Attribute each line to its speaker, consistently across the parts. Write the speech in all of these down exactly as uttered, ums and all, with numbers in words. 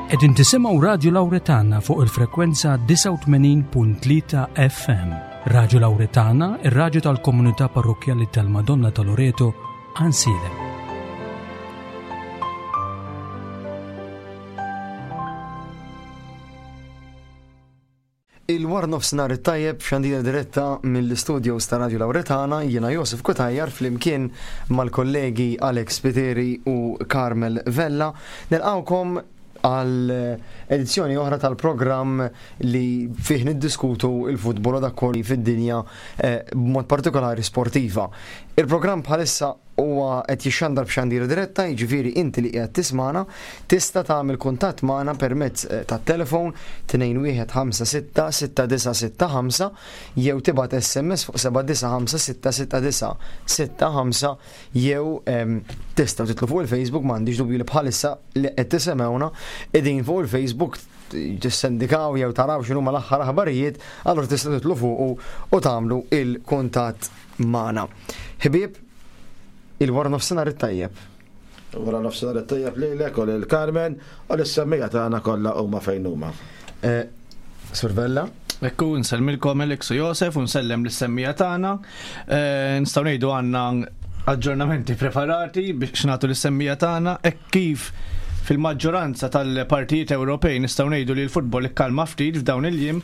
Speaker 1: Qegħdin tisimgħu Radju Lawretana fuq il-frekwenza disgħa u tmenin punt tlieta F M. Radju Lawretana, ir-radju tal-komunità parrokkjali tal-Madonna ta' Loreto, Għajnsielem.
Speaker 2: Il-war nofsinhar it-tajjeb f'xandira diretta mill-istudios ta' Radio Lawretana, jiena Josef Cutajar flimkien mal-kollegi Alex Spiteri u Carmel Vella. Nilqawkom għal edizzjoni oħra tal-programm li fih niddiskutu il-futbol u dak kollu fid-dinja, eh, b'mod partikolari sportiva. Il-programm bħalissa huwa qed jixxandar b'xandira diretta, jiġifieri inti li qiegħed tismana tista' tagħmel kuntatt magħna permezz, eh, tat-telefon tnejn wieħed ħamsa sitta sitta disa' sitta ħamsa jew tibgħat S M S fuq seba' disa' ħamsa sitta sitta disa' sitta ħamsa jew, ehm, tistgħu titlu fuq il-Facebook, m'għandix dubju li bħalissa li qed tisimgħuna qegħdin fuq il-Facebook tissendikaw jew taraw x'inhuma l-aħħar aħbarijiet, allura tistgħu titlu fuqu u tagħmlu il-kuntatt magħna. Ħbieb, il-wara nofsinhar it-tajjeb.
Speaker 3: Wara nofsinhar it-tajjeb lilek u lil Carmen u lis-semmija tagħna kollha huma fejn huma.
Speaker 2: Eh, Sur Vella?
Speaker 4: Ekku, nsellmilkom Alex u Josef u nsellem lis-semmija tagħna. Eh, nistgħu ngħidu għandna aġġornamenti preparati biex nagħtu lis-semmija tagħna hekk kif fil-maġġoranza tal-partijiet Ewropej nistgħu ngħidu li l-futbol ikkalma ftit f'dawn il-jiem,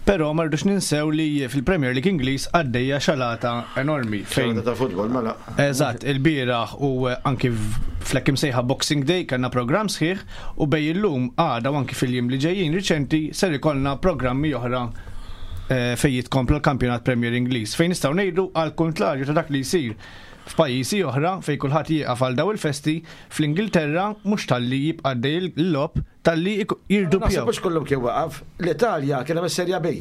Speaker 4: però ma rridux ninsew li fil-Premier League Ingliż għaddejja xalata enormi fejn
Speaker 3: Xalata ta' futbol, mela.
Speaker 4: Eżatt, il-bieraħ u anki fl-hekk imsejħa Boxing Day kellna programm sħiħ u bej illum għada u anki fil-jiem li ġejjin riċenti ser ikollna programmi oħra, eh, fejn jitkompla l-kampjonat Premier Ingliż, fejn nistgħu ngħidu għal kontrarju ta' dak li jsir f'pajjiżi oħra fejn kulħadd jieqaf għal daw il-festi, fl-Ingilterra mhux talli jibqa' għaddej il-logħob, talli jik-, jirduppjaw.
Speaker 3: Naħseb mhux kullum kien waqaf, l-Italja kien hemm is-Serja B.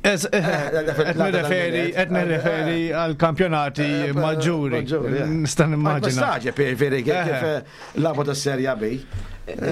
Speaker 4: Ez,
Speaker 3: Eh, eh,
Speaker 4: qed nirreferi, qed nirreferi
Speaker 3: eh,
Speaker 4: għal kampjonati
Speaker 3: eh, eh,
Speaker 4: maġġuri.
Speaker 3: maġġuri, eh.
Speaker 4: Nista' nimmaġina.
Speaker 3: Ma staġeb, jiġifieri, kif,
Speaker 4: Eh.
Speaker 3: kif, eh, lagħbu tas-Serja B.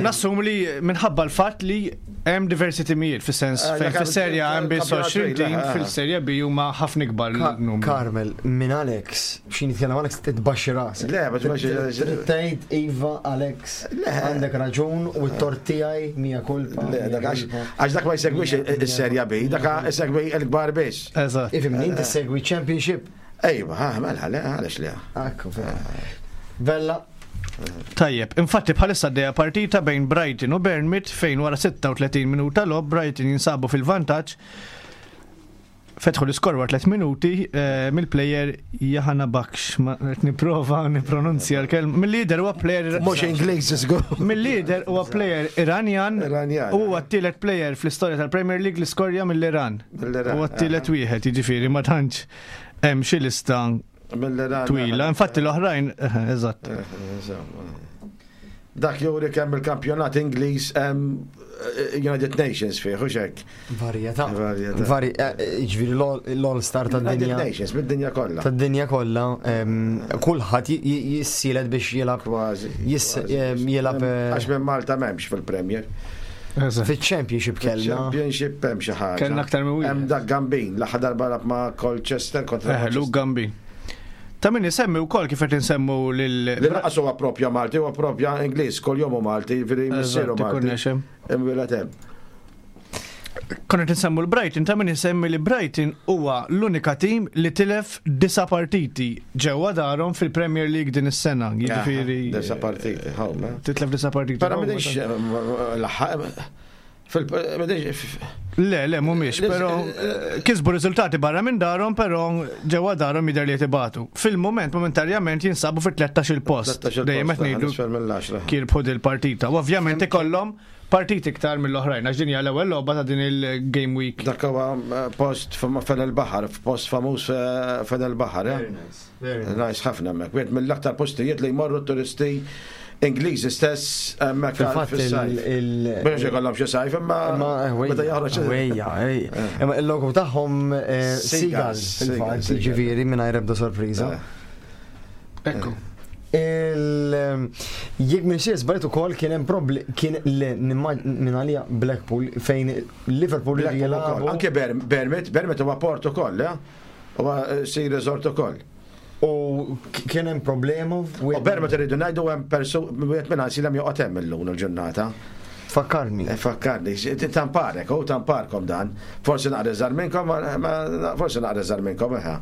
Speaker 4: Nassum li minħabba l-fatt li hemm diversi timijiet, fis-sens
Speaker 3: Eh,
Speaker 4: fejn
Speaker 3: dak
Speaker 4: fis-Serja hemm biss
Speaker 3: kampjonat
Speaker 4: għoxrin
Speaker 3: twil,
Speaker 4: tim,
Speaker 3: eh.
Speaker 4: fil-Serja B huma ħafna ikbar
Speaker 2: Ka-
Speaker 4: l-numru.
Speaker 2: Carmel, minn Alex, x'in jitkellem Alex titbaxxi rasek.
Speaker 3: Le, ma tbaxxi rasek.
Speaker 2: Tgħid Iva Alex,
Speaker 3: Le.
Speaker 2: għandek raġun u t-tort tiegħi mija kulpa.
Speaker 3: Le, dak għax għax dak ma jsegwix is-Serja B, dak isegwi l-kbar biss.
Speaker 4: Eżatt.
Speaker 2: Ifhimni, inti segwi Championship.
Speaker 3: Ejwa, ha, mela, le, għaliex le.
Speaker 2: Ekku, Vella.
Speaker 4: Tajjeb, infatti bħalissa għaddejja partita bejn Brighton u Bournemouth fejn wara sitta u tletin minuta logħob Brighton jinsabu fil-vantaġġ. Fetħu l-iskor wara tliet minuti, eh, mill-player Jahana Baksh, ma qed nipprova nippronunzja l-kelma. Mill-lider huwa player
Speaker 3: Mhux Ingliż żgur.
Speaker 4: Mill-lider huwa player Iranjan.
Speaker 3: Iranjan.
Speaker 4: U huwa t-tielet player fl-istorja tal-Premier League li skorja mill-Iran.
Speaker 3: Mill-Iran,
Speaker 4: Huwa t-tielet
Speaker 3: eh.
Speaker 4: wieħed, jiġifieri ma tantx hemm xi lista
Speaker 3: Mill-Iran.
Speaker 4: twila. Infatti l-oħrajn, eh, eżatt.
Speaker 3: Eh, insomma. Dak juri kemm il-kampjonat Ingliż hemm, eh, United Nations fih, u xek.
Speaker 2: Varjetà.
Speaker 3: Varjetà.
Speaker 2: Vari-, eh, jiġifieri l-all-, l-all star tad-dinja.
Speaker 3: United Nations, mid-dinja kollha.
Speaker 2: Tad-dinja kollha, ehm, kulħadd j-, j-, jissielet biex jilgħab.
Speaker 3: Kważi,
Speaker 2: Jiss-,
Speaker 3: kważi.
Speaker 2: ehm, jilgħab, eh,
Speaker 3: Għax minn Malta m'hemmx fil-Premier.
Speaker 4: Eżatt.
Speaker 2: Fil-Championship kellna.
Speaker 3: Championship hemm xi ħaġa.
Speaker 4: Kellna aktar minn wieħed.
Speaker 3: Hemm dak Gambin, l-aħħar darba lagħab ma' Colchester kontra
Speaker 4: Eh, Luke
Speaker 3: Manchester.
Speaker 4: Gambin. Ta' min isemmi wkoll kif qed insemmu lil
Speaker 3: Li naqas huwa propja Malti, huwa propja Ingliż, kull jum hu Malti, jiġifieri
Speaker 4: Eżatt,
Speaker 3: missieru
Speaker 4: ikun
Speaker 3: Malti.
Speaker 4: nexem.
Speaker 3: Imwieled hemm.
Speaker 4: Konna qed insemmu l-Brighton, ta' min isemmi li Brighton huwa l-unika tim li tilef disa' partiti ġewwa darhom fil-Premier League din is-sena, jiġifieri
Speaker 3: Disa' partiti, ħaw, ma.
Speaker 4: Titlef disa' partiti.
Speaker 3: Però
Speaker 4: ħaw,
Speaker 3: m'għandix,
Speaker 4: ma.
Speaker 3: l-aħħar, fil-, m'għandix,
Speaker 4: Le, le, mhumiex,
Speaker 3: Le,
Speaker 4: però,
Speaker 3: eh,
Speaker 4: kisbu riżultati barra minn darhom, però ġewwa darhom jidher li qed ibatu. Fil-mument, momentarjament jinsabu fit-tlettax il-post.
Speaker 3: Tlettax il-post,
Speaker 4: Dejjem qed
Speaker 3: eh,
Speaker 4: ngħidu
Speaker 3: nisfel mill-għaxra.
Speaker 4: kirbħu dil-partita. U ovvjament ikollhom partiti iktar mill-oħrajn, għax din hija l-ewwel logħba ta' din il-game week.
Speaker 3: Dak huwa, eh, post fam-, fejn il-baħar, post famuż, eh, fejn il-baħar, eh?
Speaker 2: Very nice, very nice.
Speaker 3: Nice ħafna hemmhekk. Wieħed mill-aktar postijiet li jmorru turisti Ingliżi stess hemmhekk
Speaker 2: Fil-fatt
Speaker 3: fis-sajf.
Speaker 2: il-, il-
Speaker 3: Biex ikollhom xi sajf, imma
Speaker 2: Imma, eh, wejja,
Speaker 3: meta joħroġ
Speaker 2: wejja, ej. Imma il-logo tagħhom, eh,
Speaker 3: Seagulls,
Speaker 2: Seagulls, fil-fatt,
Speaker 3: Seagulls,
Speaker 2: jiġifieri mingħajr ebda sorpriża.
Speaker 3: Eh.
Speaker 4: Ekku.
Speaker 2: Il-, jekk minn xi żbaljt ukoll kien hemm probli-, kien le, nimma-, minn għalija Blackpool fejn Liverpool
Speaker 3: Blackpool
Speaker 2: jilagħbu.
Speaker 3: ukoll. Anke Ber-, Bournemouth, Bournemouth huwa port ukoll, eh? Huwa, eh, sea resort ukoll.
Speaker 2: U kien hemm problema.
Speaker 3: U Bournemouth irridu ngħidu hemm persu wieħed minn Għajnsielem joqgħod hemm illum il-ġurnata.
Speaker 2: Fakkarni.
Speaker 3: Eh, Fakkarni, tamparek, u tamparkom dan. Forsi naqra żgħar minnkom, forsi naqra żgħar minnkom, eħe.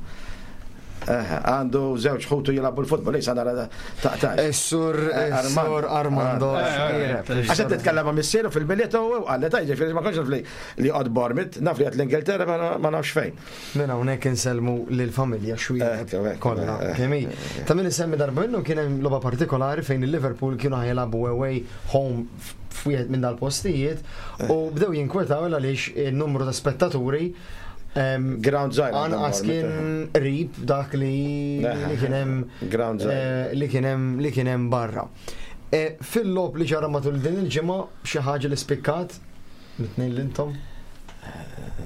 Speaker 3: Għandu żewġ ħutu jilagħbu l-futbol, issa nara taqtax.
Speaker 2: Sur Sur Armando.
Speaker 3: Għax qed titkellem ma' missieru fil-Milied u qalli ta' jiġifieri ma kontx naf li joqgħod Bournemouth, naf li qed l-Ingilterra ma nafx fejn.
Speaker 2: Minn hawnhekk insellmu lill-familja Xuereb kollha kemm hi. Ta' min isemmi darba minnhom kien hemm logħba partikolari fejn il-Liverpool kienu ħa jilagħbu away home f'wieħed minn dal-postijiet u bdew jinkwetaw għaliex il-numru ta' spettaturi
Speaker 3: Ground żgħir.
Speaker 2: Anqas kien qrib dak li kien hemm li kien hemm li kien hemm barra. Fil-logħob li ġara matul din il-ġimgħa xi ħaġa li spikkat mit-tnejn l-intom?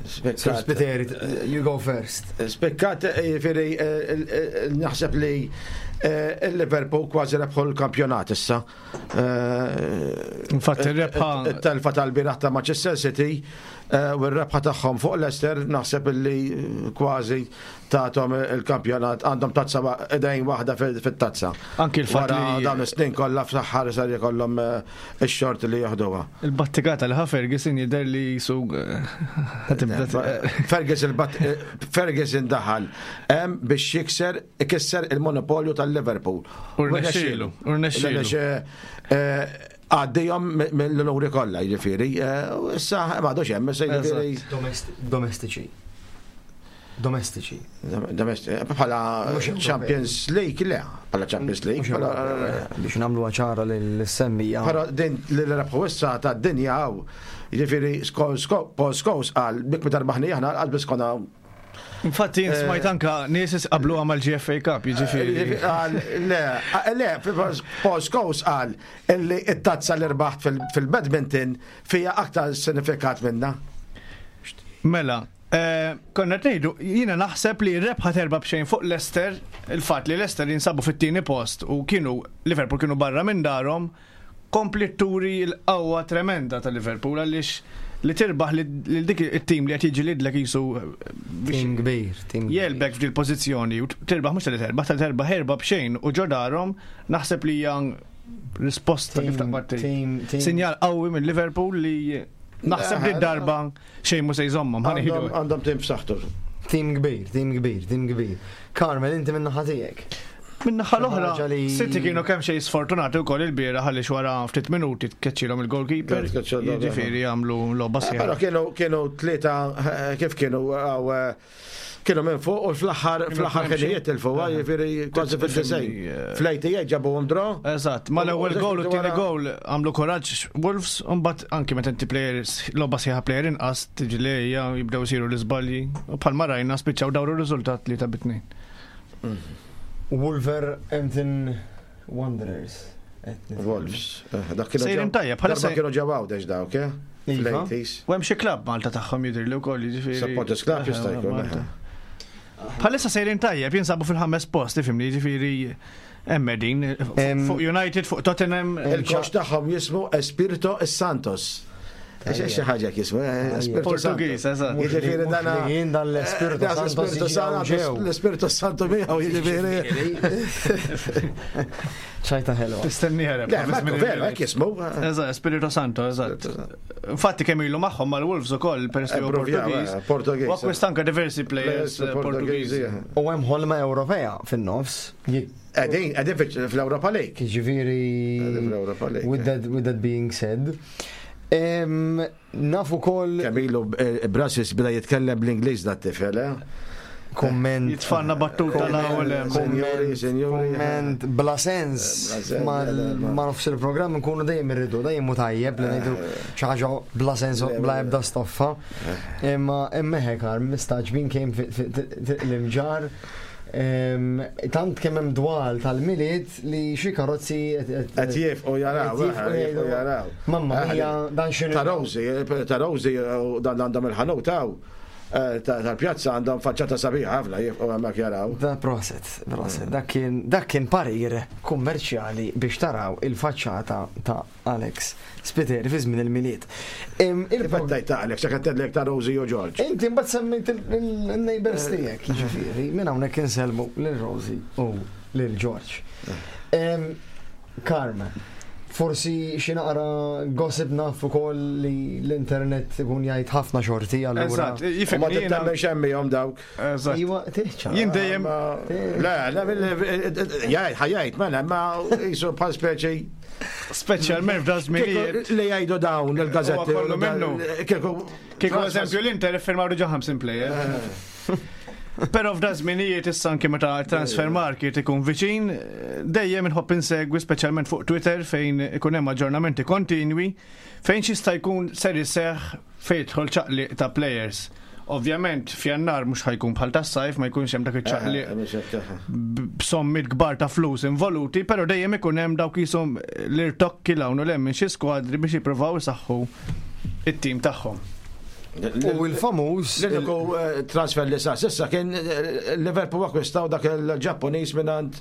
Speaker 2: Spiteri, you go first.
Speaker 3: Spikkat, jiġifieri, naħseb li il-Liverpool kważi rebħu l-kampjonat issa.
Speaker 4: Infatti il-rebħa.
Speaker 3: Il-telfa tal-bieraħ ta' Manchester City u r-rebħa tagħhom fuq Leicester naħseb li kważi tathom il-kampjonat, għandhom tazza, idejn waħda fit-tazza.
Speaker 4: Anki il-fatt
Speaker 3: li dawn is-snin kollha fl-aħħar sar jkollhom ix-xort li jaħduha.
Speaker 4: Il-battikata li ħa Ferguson jidher li su
Speaker 3: Ferguson Ferguson daħal hemm biex jikser ikisser il-monopolju tal-Liverpool.
Speaker 4: U rnexxielu, u rnexxielu.
Speaker 3: Għaddejhom mill-onuri kollha, jiġifieri. Issa m'għadux hemm, issa jiġifieri.
Speaker 2: Domestiċi. Domestiċi.
Speaker 3: Domestiċi. Bħala Champions League, le, bħala Champions League.
Speaker 2: Biex nagħmlu ċara l-semmija.
Speaker 3: Però din li rebħu issa ta' dinja għaw. Jiġifieri Paul Scholes qal bik meta rbaħni aħna qal biss konna.
Speaker 4: Infatti, smajt anka nies qablu għamal G F A Cup, jiġifieri.
Speaker 3: Le, le, Paul Scholes qal illi it-tazza li rbaħt fil-badminton fija aktar sinifikat minna.
Speaker 4: Mela, eh, konna ngħidu, jiena naħseb li rebħa erba' b'xejn fuq Leicester, il-fatt li Leicester jinsabu fit-tieni post u kienu Liverpool kienu barra minn darhom, kompli turi l-qawwa tremenda ta' Liverpool, għaliex li tirbaħ li dik it-tim li qed jiġi jisu
Speaker 2: Tim kbir, tim kbir.
Speaker 4: Jegħlbek f'dil pożizzjoni u tirbaħ, mhux li terbaħ, tal terbaħ erba' b'xejn u ġo darhom, naħseb li hija risposta kif taqbad tgħid.
Speaker 2: Tim, tim.
Speaker 4: Sinjal qawwi minn Liverpool li naħseb li darba xejn mhu se jżommhom, ħa ngħidu.
Speaker 3: Għandhom għandhom tim b'saħħtu.
Speaker 2: Tim kbir, tim kbir, tim kbir. Carmel, inti minn naħa tiegħek.
Speaker 4: Min-naħa l-oħra,
Speaker 2: Ħaġa li-
Speaker 4: City kienu kemm xejn sfortunati wkoll il-bieraħ għaliex wara ftit minuti tkeċċilhom il-goalkeeper.
Speaker 3: Tkeċċilhom,
Speaker 4: Jiġifieri jagħmlu logħba
Speaker 3: Però
Speaker 4: sħiħa.
Speaker 3: kienu kienu tlieta, eh, kif kienu għaw, eh, kienu minn fuq u fl-aħħar fl-aħħar
Speaker 4: Kienu
Speaker 3: ħinijiet tilfu, jiġifieri kważi fil-disgħin.
Speaker 4: Eh,
Speaker 3: Fl-eighty-eight ġabuhom draw.
Speaker 4: Eżatt, ma l-ewwel
Speaker 3: U-
Speaker 4: goal u t-tieni
Speaker 3: wara-
Speaker 4: goal għamlu kuraġġ Wolves, u mbagħad anki meta inti players logħba sħiħa player inqas tiġi li hija jibdew isiru l-iżbalji. U bħalma rajna spiċċaw dawru r-riżultat li ta' bitnejn.
Speaker 2: Wolverhampton Wanderers. Qed nitkellem.
Speaker 3: Wolves. Eh, Dak kienu
Speaker 4: Sejrin
Speaker 3: ġew-
Speaker 4: tajjeb, bħala
Speaker 3: darba
Speaker 4: se-
Speaker 3: kienu ġew Għawdex dawk, eh?
Speaker 2: Iva.
Speaker 3: Fl-eighties.
Speaker 4: U hemm xi klabb Malta tagħhom jidher li wkoll, jiġifieri.
Speaker 3: Supporters club jista' jkun,
Speaker 4: Malta.
Speaker 3: eh.
Speaker 4: Bħalissa sejrin tajjeb, jinsabu fil-ħames post, ifhimni, jiġifieri hemm qegħdin
Speaker 2: Em,
Speaker 4: fuq United, fuq Tottenham.
Speaker 3: Il-coach tagħhom jismu Espirito Santos. Xi ħaġa jismu, eh, Espirito
Speaker 4: Portugiż,
Speaker 3: Santos.
Speaker 4: eżatt.
Speaker 3: Jiġifieri dana.
Speaker 2: Mhux li jien dan l-Espirito
Speaker 3: Dan
Speaker 2: Santos
Speaker 3: l-Espirito
Speaker 2: jiġi
Speaker 3: Santos,
Speaker 2: ġew.
Speaker 3: l-Espirito Santo miegħu, jiġifieri.
Speaker 2: ċajta ħelwa.
Speaker 4: Tistenni ħereb.
Speaker 3: Le, Marco, veru, hekk jismu.
Speaker 4: Eżatt, Espirito Santo, eżatt. Infatti kemm ilu magħhom mal-Wolves ukoll peress li huwa
Speaker 3: Approvjaw,
Speaker 4: Portugiż.
Speaker 3: eh, Portugiż.
Speaker 4: U akkwista anke diversi players eh, Portugiżi.
Speaker 2: U hemm ħolma Ewropea fin-nofs.
Speaker 3: Qegħdin, qegħdin fil- fl-Europa League.
Speaker 2: Jiġifieri
Speaker 3: Qegħdin fl-Europa League.
Speaker 2: With that, with that being said, em, nafu kol
Speaker 3: Kemm ilu eh, Brasis beda jitkellem bl-Ingliż dat tifel, eh?
Speaker 2: Komment.
Speaker 4: Jitfanna battuta l-ewwel hemm.
Speaker 3: Senjori, senjori.
Speaker 2: Komment bla sens.
Speaker 3: Bla sens,
Speaker 2: Ma
Speaker 3: le, le,
Speaker 2: ma nofs il-programm nkunu dejjem irridu, dejjem hu tajjeb li ngħidu xi ħaġa bla sens u bla ebda stoffa. Imma imma hekk mistaġbin kemm l-imġar. Em, Tant kemm hemm dwal tal-Milied li xi karozzi
Speaker 3: Qed jifqu jaraw,
Speaker 2: Qed jifqu
Speaker 3: eh, jifqu
Speaker 2: jgħidu,
Speaker 3: jaraw.
Speaker 2: Mamma
Speaker 3: Eh,
Speaker 2: mia, dan x'inhu.
Speaker 3: Ta' Rosi, ta' Rosi, u dan għandhom il-ħanut hawn. eh, tal-pjazza għandhom faċċata sabiħa ħafna jibqgħu hemmhekk jaraw.
Speaker 2: Da proset, proset. Dak kien dak kien parir kummerċjali biex taraw il-faċċata ta' Alex Spiteri fi żmien il-Milied. Em, il-
Speaker 3: Fattajt ta' Alex, jekk għedtlek ta' Rosie u George.
Speaker 2: Inti mbagħad semmejt il-neighbors tiegħek, jiġifieri, minn hawnhekk insellmu lil Rosie u lil George. Em, Carmen, forsi xi naqra gossip naf ukoll li l-internet ikun jgħid ħafna xorti allura.
Speaker 4: Eżatt,
Speaker 3: U ma
Speaker 4: jifhimni jiena.
Speaker 3: tittemmen xemmihom dawk.
Speaker 4: Eżatt.
Speaker 2: Iwa, tiħċa.
Speaker 4: Jien dejjem
Speaker 3: Ma- Le, le, jgħid, ħajjajt, mela, ma jisu bħal speċi.
Speaker 4: Speċjalment f'da żminijiet.
Speaker 3: Kieku li jgħidu dawn il-gazetti.
Speaker 4: Huwa kollu minnu.
Speaker 3: Kieku.
Speaker 4: Kieku eżempju l-Inter iffirmaw diġà ħamsin player. Però f'da żminijiet issa anke meta transfer market ikun viċin, dejjem inħobb insegwi speċjalment fuq Twitter fejn ikun hemm aġġornamenti kontinwi fejn xista jkun ser iseħħ fejn jidħol ċaqliq ta' players. Ovvjament f'Jannar mhux ħa jkun bħal tas-sajf ma jkunx hemm dak iċ-ċaqliq b'sommiet kbar ta' flus involuti, però dejjem ikun hemm dawk jisom l-irtokki 'l hawn u 'l hemm minn xi skwadri biex jippruvaw isaħħu it-tim tagħhom.
Speaker 2: U il-famuż.
Speaker 3: L-uniku eh, transfer li sa' sissa kien eh, Liverpool akkwistaw dak il-Ġappuniż mingħand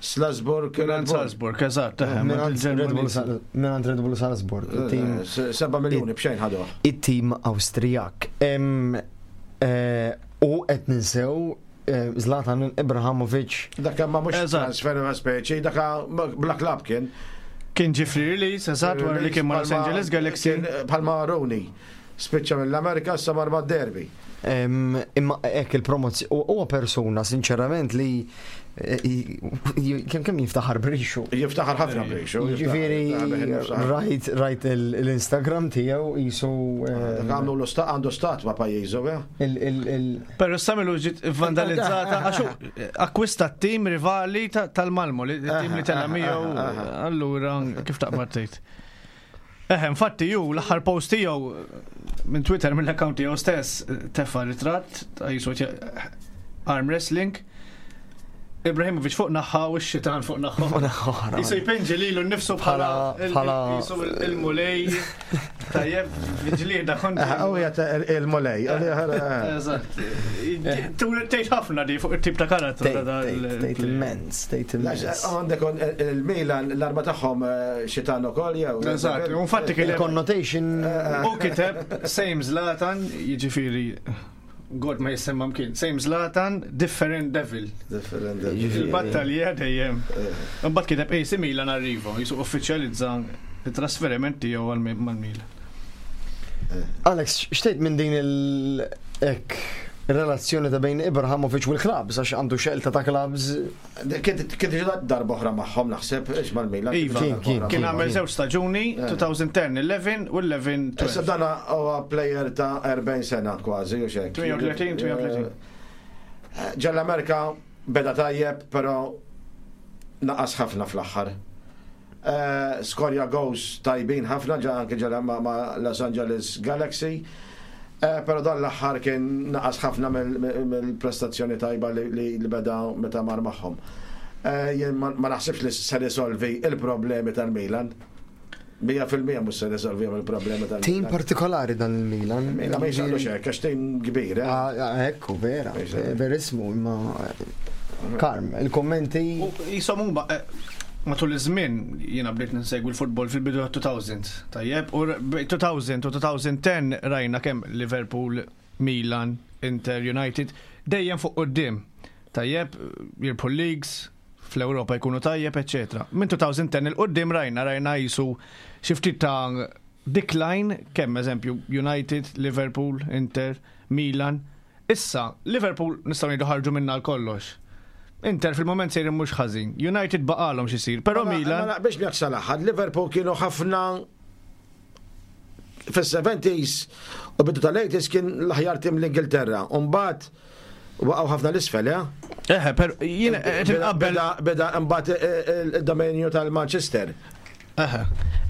Speaker 3: Salzburg.
Speaker 4: Mingħand Salzburg, eżatt, eħe,
Speaker 2: Mingħand Red Bull
Speaker 4: il-Ġermaniż.
Speaker 2: Sal- mingħand Red Bull Salzburg, it-tim
Speaker 3: Eh, Seba miljoni b'xejn ħaduh.
Speaker 2: it-tim Awstrijak. Em, eh, U qed ninsew eh, Zlatan Ibrahimovic
Speaker 3: Dak ma mhux
Speaker 4: Eżatt.
Speaker 3: transfer ma speċi, dak bla klab kien.
Speaker 4: Kien ġie free release, eżatt, wara li kien ma' Los
Speaker 3: Palma-
Speaker 4: Angeles Galaxy.
Speaker 3: kien Palma Rooney. Spiċċa mill-Amerika sa mar ma' Derby.
Speaker 2: Em, Imma hekk il-promozzjoni huwa persuna sinċerament li eh, i- kemm kemm jiftaħar brixu.
Speaker 3: Jiftaħar ħafna brixu.
Speaker 2: Jiġifieri rajt rajt il- l-Instagram tiegħu jisu
Speaker 3: Dak għamlu l għandu statwa pajjiżu, eh?
Speaker 2: il il il
Speaker 4: Pero samilu ġiet vandalizzata, għax hu akkwista t-tim rivali ta- tal-Malmo, li- il-tim li tella miegħu, allura kif taqbad tgħid. Eħe, infatti ju l-aħħar post tiegħu minn Twitter mill-account tiegħu stess tefa' ritratt ta' jisu arm wrestling. Ibrahimovic fuq naħa u x-xitan fuq naħa.
Speaker 2: oħra.
Speaker 4: Jisu jpinġi lilu nnifsu bħala
Speaker 2: Bħala- bħala-
Speaker 4: jisu il-mulej tajjeb ġlieda kontra.
Speaker 3: U jgħat il-mulej.
Speaker 4: Eżatt. Tgħid ħafna di fuq it-tip ta' karattru ta' da-
Speaker 2: Tgħid immens, tgħid immens.
Speaker 3: Għandek il-Milan, l-arma tagħhom eh, xitan ukoll jew.
Speaker 4: Eżatt, u infatti kien hemm-
Speaker 2: Il-connotation
Speaker 4: u kiteb same Zlatan, jiġifieri God ma jisemma mkien, same Zlatan, different devil.
Speaker 3: Different.
Speaker 2: Jiġifieri.
Speaker 4: Il-battalja dejjem. Imbagħad kiteb A C Milan arrivo, jisu uffiċjalizza it-trasferiment tiegħu għal mal-Milan.
Speaker 2: Alex, xtejt minn din il ek relazzjoni ta' bejn Ibrahimovic u l-klabs, għax għandu xelta ta' klabs.
Speaker 3: Kien diġà darba oħra magħhom naħseb, ix mal-Milan.
Speaker 4: Iva.
Speaker 2: Kien, kien,
Speaker 4: Kien għamel żewġ staġuni, elfejn u għaxra, u għaxra
Speaker 3: Issa dana huwa player ta' erbgħin sena kważi, u xek.
Speaker 4: tmienja u tletin, tmienja u tletin.
Speaker 3: Ġall-Amerika beda tajjeb, però naqas ħafna fl-aħħar. Eh, Skorja goals tajbin ħafna ġa anke ġala ma' ma' Los Angeles Galaxy. Eh, Però dan l-aħħar kien naqas ħafna mill- mill-prestazzjoni tajba li- li li beda meta mar magħhom. Eh, Jien ma ma naħsibx li se risolvi il-problemi tal-Milan. Mija fil-mija mhux se risolvi il-problemi tal-Milan.
Speaker 2: Tim partikolari dan il-Milan.
Speaker 3: Milan ma jisaqlu xek, għax tim kbir, eh?
Speaker 2: Ah, ah, Ekku, vera,
Speaker 3: Eżatt.
Speaker 2: verissmu, imma Karm, il-kommenti.
Speaker 4: U jisom huma eh, matul iż-żmien jiena bdejt ninsegwi l-futbol fil-bidu ta' elfejn. Tajjeb, u r- bejn elfejn u elfejn u għaxra rajna kemm Liverpool, Milan, Inter, United dejjem fuq quddiem. Tajjeb, jirbħu leagues, fl-Ewropa jkunu tajjeb, eċetera. Minn elfejn u għaxra 'il quddiem rajna rajna jisu xi ftit ta' decline kemm eżempju United, Liverpool, Inter, Milan. Issa, Liverpool nistgħu ngħidu ħarġu minna l kollox. Inter fil-moment sejrin mhux ħażin. United baqalhom x'isir, però
Speaker 3: Ma-
Speaker 4: Milan
Speaker 3: Ma naqbilx miegħek sal-aħħar, Liverpool kienu ħafna fis-seventies u bidu tal-eighties kien l-aħjar tim l-Ingilterra. Umbagħad waqgħu ħafna l-isfel, eh?
Speaker 4: Eħe, per jiena qed inqabbel
Speaker 3: Beda beda mbagħad il-dominju tal-Manchester.
Speaker 4: Eħe.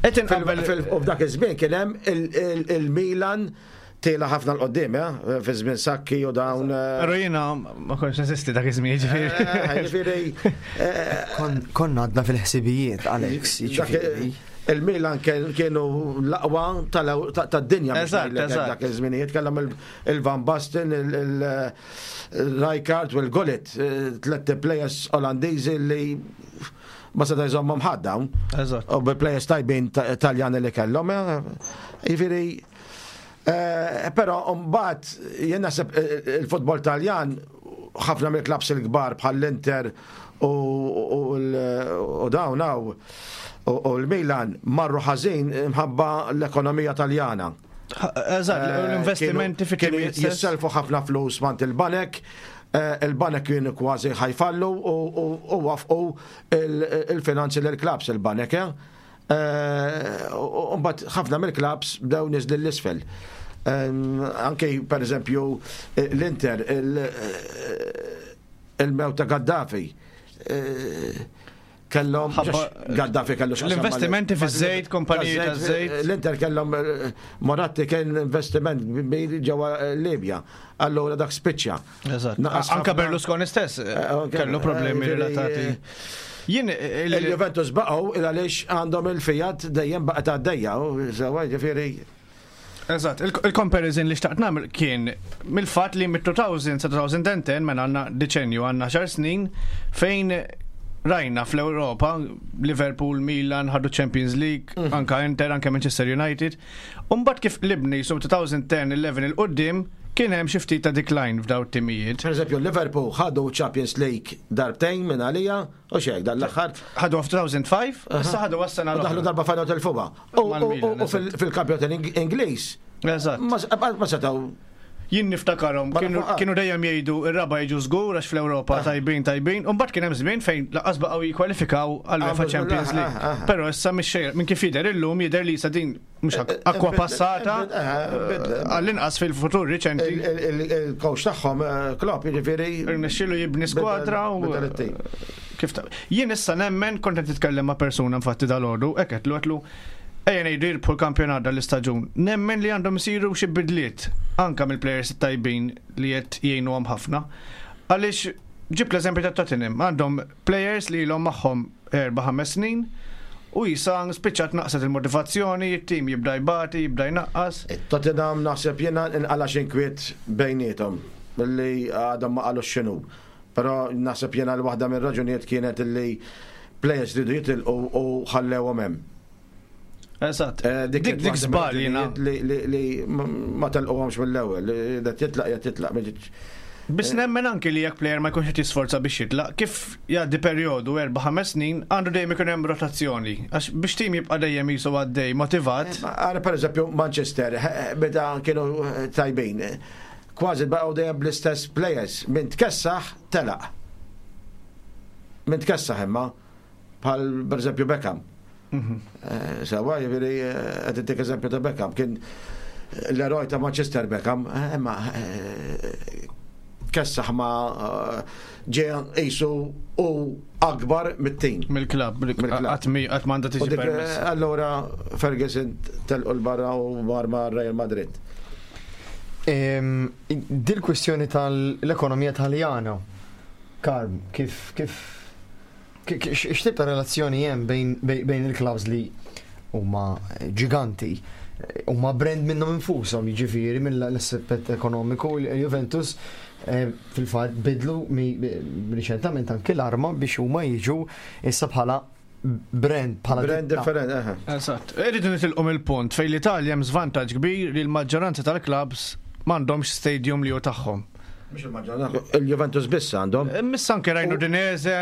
Speaker 4: Qed inqabbel
Speaker 3: Fil- U f'dak iż-żmien kien hemm il- il- il-Milan tiela ħafna 'l quddiem, eh? Fi żmien Sacchi u dawn. eh,
Speaker 4: Però jiena ma kontx neżisti dak iż-żmien, jiġifieri.
Speaker 3: eh, Ġifieri, eh,
Speaker 2: Kon- Konna għadna fil-ħsibijiet, Alex,
Speaker 3: dak
Speaker 2: jiġifieri.
Speaker 3: Il-Milan kienu l-aqwa tad-dinja dak iż-żminijiet, kellhom il-Van Basten, il-Rijkaard u l-Gullit, tliet players Olandiżi li ma seta' jżommhom ħadd dawn. U bi players tajbin Taljani li kellhom. Jiġifieri, però mbagħad jien naħseb il-futbol Taljan, ħafna mill-klabs il-kbar bħall-Inter u dawn u l-Milan marru ħażin imħabba l-ekonomija Taljana.
Speaker 4: Eżatt, l-investimenti fi
Speaker 3: kienu jisselfu ħafna flus mant il-banek, il-banek kienu kważi ħa jfallu u waqfu il-finanzi l-klabs il-banek. U mbagħad ħafna mill-klabs bdew niżlu 'l isfel. Anke per eżempju l-Inter, il-mewt ta' Gaddafi, kellhom Gaddafi kellu
Speaker 4: l-investimenti fiż-żejt, kompaniji ta' żejt.
Speaker 3: L-Inter kellhom Moratti, kien investiment ġewwa Libja. Allura dak spiċċa.
Speaker 4: Eżatt. Anka Berlusconi stess kellu problemi relatati.
Speaker 3: Jien il-Juventus baqgħu il għaliex għandhom il-Fiat dejjem baqgħet għaddejja, sewwa, ġifieri.
Speaker 4: Eżatt, il-comparison li xtaqt nagħmel kien mill-fatt li mit-elfejn sa elfejn u għaxra, mela għandna deċenju, għandna għaxar snin fejn rajna fl-Europa Liverpool, Milan ħadu Champions League, mm. anka Inter, anka Manchester United. Umbagħad kif libni su elfejn u għaxra, għoxrin 'il quddiem kien hemm xi ftit ta' decline f'daw it-timijiet.
Speaker 3: Per eżempju, Liverpool ħadu Champions League darbtejn minn għalija, u xek, dan l-aħħar.
Speaker 4: Ħadu f'elfejn u ħamsa, issa ħadu għas-sena.
Speaker 3: Daħlu darba final, telfuha. U fil-kampjonat Ingliż.
Speaker 4: Eżatt.
Speaker 3: Ma setgħu
Speaker 4: Jien niftakarhom kienu dejjem jgħidu ir-raba' jiġu żgur għax fl-Ewropa tajbin tajbin, u mbagħad kien hemm żmien fejn lanqas baqgħu jikkwalifikaw għal UEFA Champions League. Però issa mhix minn kif jidher illum, jidher li sa din mhux akwa passata, għall-inqas fil-futur riċenti.
Speaker 3: Il-coach tagħhom Klopp, jiġifieri.
Speaker 4: Irnexxielu jibni skwadra u kif jien issa nemmen, kont qed titkellem ma' persuna infatti dalgħodu, hekk għedtlu għedtlu ejja ngħidu jirbħu l-kampjonat dal-istaġun. Nemmen li għandhom isiru xi bidliet anka mill-players tajbin li qed jgħinuhom ħafna. Għaliex ġib l-eżempju ta' Tottenham, għandhom players li ilhom magħhom erba' ħames snin u jisa spiċċat naqset il-motivazzjoni, it-tim jibda jbati, jibda jnaqqas.
Speaker 3: Tottenham naħseb jiena inqala inkwiet bejniethom li għadhom ma qalux x'inhu. Però naħseb jiena l-waħda mir-raġunijiet kienet illi players ridu jitilqu u ħallewhom hemm.
Speaker 4: Eżatt. Dik dik żball jiena.
Speaker 3: Li ma telquhomx mill-ewwel, li da titlaq ja titlaq.
Speaker 4: Biss nemmen anki li jekk player ma jkunx qed jisforza biex jitlaq, kif jgħaddi perjodu erba' ħames snin, għandu dejjem ikun hemm rotazzjoni. Għax biex tim jibqa' dejjem jisu għaddej motivat.
Speaker 3: Għara per eżempju Manchester, meta kienu tajbin, kważi baqgħu dejjem bl-istess players, min tkessaħ telaq. Min tkessaħ imma, bħal per eżempju Beckham. Sewwa, jiġifieri, qed intik eżempju ta' Beckham, kien l-eroj ta' Manchester Beckham, imma kessaħ, ma ġie jisu u akbar mit-tim.
Speaker 4: Mill-klab, qatt m'għandha tiġi permess.
Speaker 3: Allora Ferguson telqu 'l barra u mar ma' Real Madrid.
Speaker 2: Dil kwestjoni tal-ekonomija Taljana, Karm, kif kif x'tip ta' relazzjoni hemm bejn il-clubs li huma ġiganti, huma brand minnhom infushom, jiġifieri mill-aspett ekonomiku, il-Juventus fil-fatt bidlu riċentament anki l-arma biex huma jiġu issa bħala brand, bħala
Speaker 3: brand different.
Speaker 4: Eżatt. Irridu nitilqu mill-punt fejn l-Italja hemm żvantaġġ kbir li l-maġġoranza tal-clubs m'għandhomx stadium li hu tagħhom.
Speaker 3: Mhux il-maġġoranza. Il-Juventus biss għandhom.
Speaker 4: Issa anke rajnu Udinese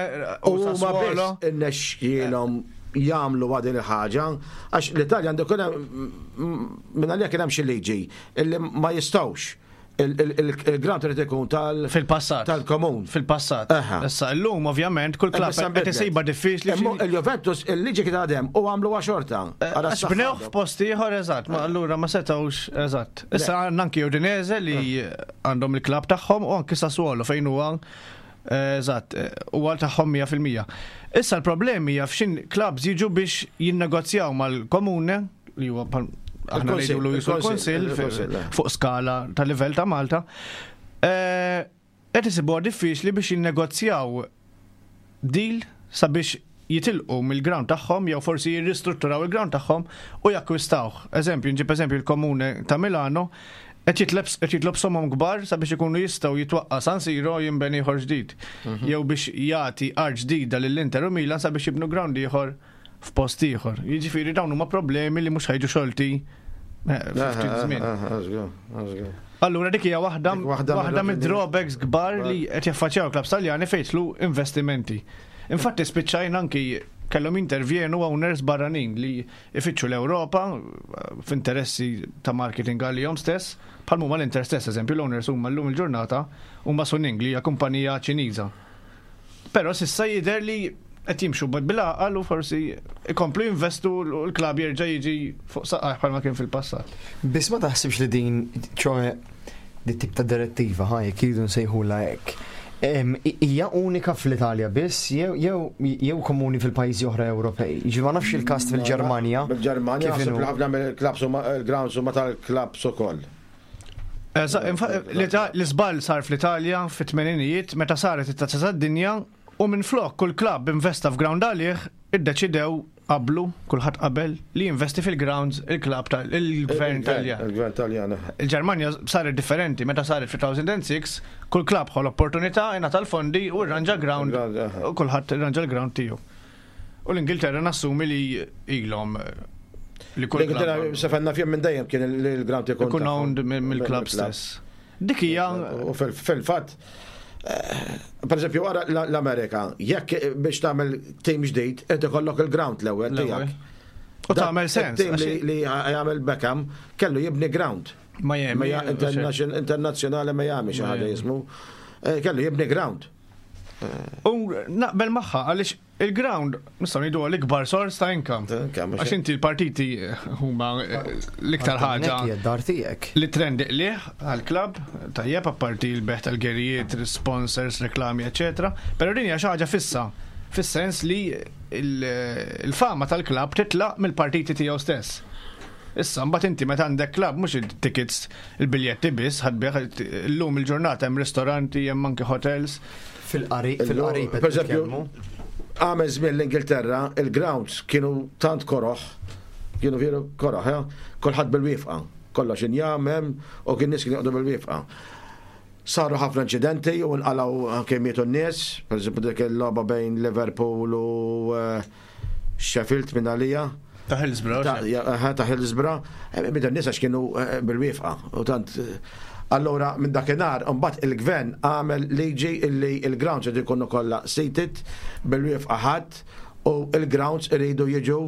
Speaker 3: u Sassuolo. Irnexxielhom jagħmlu għadin il-ħaġa, għax l-Italja għandu kien minn għalija kien hemm xi liġi illi ma jistgħux, il-ground trid ikun tal
Speaker 4: Fil-passat.
Speaker 3: Tal-komun.
Speaker 4: Fil-passat. Issa llum ovvjament kull klabb qed isibha diffiċli.
Speaker 3: Il-Juventus il-liġi kien għadhem u għamlu xorta.
Speaker 4: Għax bnewh f'post ieħor, eżatt, ma allura ma setgħux, eżatt. Issa għandna anki Udinese li għandhom il-klabb tagħhom u anki Sassuolo fejn huwa, eżatt, huwa tagħhom mija fil-mija. Issa l-problemi hija f'xin clubs jiġu biex jinnegozjaw mal-komune li huwa aħna ngħidulu jisu l-konsil fuq skala ta' livell ta' Malta. Qed isibuha diffiċli biex jinnegozjaw deal sabiex jitilqu mill-ground tagħhom jew forsi jirristrutturaw il-ground tagħhom u jakkwistawh. Eżempju, nġib eżempju il-Komune ta' Milano qed jitleb qed jitlob somom kbar sabiex ikunu jistgħu jitwaqqa San Siro jinbeni ieħor ġdid. Jew biex jagħti art ġdida lill-Inter u Milan sabiex jibnu ground ieħor f'post ieħor. Jiġifieri dawn huma problemi li mhux ħa jiġu xolti eh, ftit żmien. Allura dik hija waħda
Speaker 3: Dik waħda
Speaker 4: waħda
Speaker 3: mill-
Speaker 4: mid-drawbacks kbar li qed jaffaċċjaw klabbs Taljani fejn jidħlu investimenti. Infatti spiċċajna anki kellhom intervjenu owners barranin li ifittxu l-Ewropa eh, f'interessi ta' marketing għalihom stess, bħal huma l-Inter stess, eżempju l-owners huma llum il-ġurnata huma Suning li hija kumpanija Ċiniża. Però s'issa jidher li qed jimxu bil-għaqal u forsi ikomplu jinvestu u l-klabb jerġa' jiġi fuq saqajh bħalma kien fil-passat.
Speaker 2: Biss ma taħsibx li din, ċoè, di tip ta' direttiva, ħaj, jekk iridu nsejħula hekk. Em, i- Hija unika fl-Italja biss, jew jew jew komuni fil-pajjiżi oħra Ewropej. Ġi ma nafx il-każ fil-Ġermanja.
Speaker 3: Bil-Ġermanja,
Speaker 2: Kif
Speaker 3: naħseb
Speaker 2: inhu?
Speaker 3: li ħafna mill-klabbs huma il-grounds huma tal-klabbs ukoll.
Speaker 4: Eżatt, infa- l-Ita- L-iżball sar fl-Italja fit-tmeninijiet meta saret it-tazza tad-dinja u minn flok kull klabb investa f'ground għalih iddeċidew qablu, kulħadd qabel li jinvesti fil-grounds il-klabb tal il-gvern Taljan.
Speaker 3: Il-gvern Taljan.
Speaker 4: Il-Ġermanja saret differenti, meta saret fi elfejn u sitta, kull klabb ħa l-opportunità ingħata l-fondi u rranġa ground
Speaker 3: Ground, aha.
Speaker 4: u kulħadd irranġa l-ground tiegħu. U l-Ingilterra nassumi li ilhom eh, li kull
Speaker 3: L-Ingilterra
Speaker 4: klabb
Speaker 3: safenna fjem minn dejjem kien il-ground ikun
Speaker 4: ikun
Speaker 3: tagħhom.
Speaker 4: owned mill-klabb stess. Dik hija
Speaker 3: U fil- fil-fatt, eh, per eżempju, wara l- l-Amerika, jekk biex tagħmel tim ġdid, qed ikollok il-ground l-ewwel
Speaker 4: L-ewwel.
Speaker 3: tiegħek.
Speaker 4: U tagħmel sens.
Speaker 3: Tim li
Speaker 4: għax-
Speaker 3: li jagħmel Beckham kellu jibni ground.
Speaker 4: Miami.
Speaker 3: Mija- internation- Internazzjonali Miami xi ħaġa
Speaker 4: Miami.
Speaker 3: jismu. Eh, Kellu jibni ground.
Speaker 4: U naqbel magħha għaliex il-ground nistgħu ngħidu l-ikbar sors ta' income.
Speaker 3: Ta' income,
Speaker 4: Għax inti l-partiti huma l-iktar ħaġa
Speaker 2: Hija d-dar tiegħek.
Speaker 4: li trendi qliħ għal-klabb, tajjeb apparti l-bejgħ tal-gerijiet, sponsors, reklami, eccetera. Però din hija xi ħaġa fissa, fis-sens li il- il-fama tal-klabb titlaq mill-partiti tiegħu stess. Issa, mbagħad inti meta għandek klabb mhux il-tickets, il-biljetti biss, ħa tbigħ illum il-ġurnata hemm ristoranti, hemm anke hotels.
Speaker 2: Fil-qarib, fil-qarib.
Speaker 3: Per eżempju, għamel żmien l-Ingilterra, il-grounds kienu tant koroħ, kienu veru koroħ, eh? Kulħadd bil-wieqfa, kollox injam hemm u kien nies kienu joqogħdu bil-wieqfa. Saru ħafna inċidenti u nqalgħu anke mietu n-nies, per eżempju dik il-logħba bejn Liverpool u eh, Sheffield minn għalija.
Speaker 4: Ta' Hillsborough.
Speaker 3: Ta' ja, aha, ta' Hillsborough, eh, bida n-nies għax kienu eh, bil-wieqfa. U tant, eh, allora minn dakinhar, mbagħad il-gvern għamel liġi illi il-grounds irid ikunu kollha seated bil-wieqfa ħadd u il-grounds iridu jiġu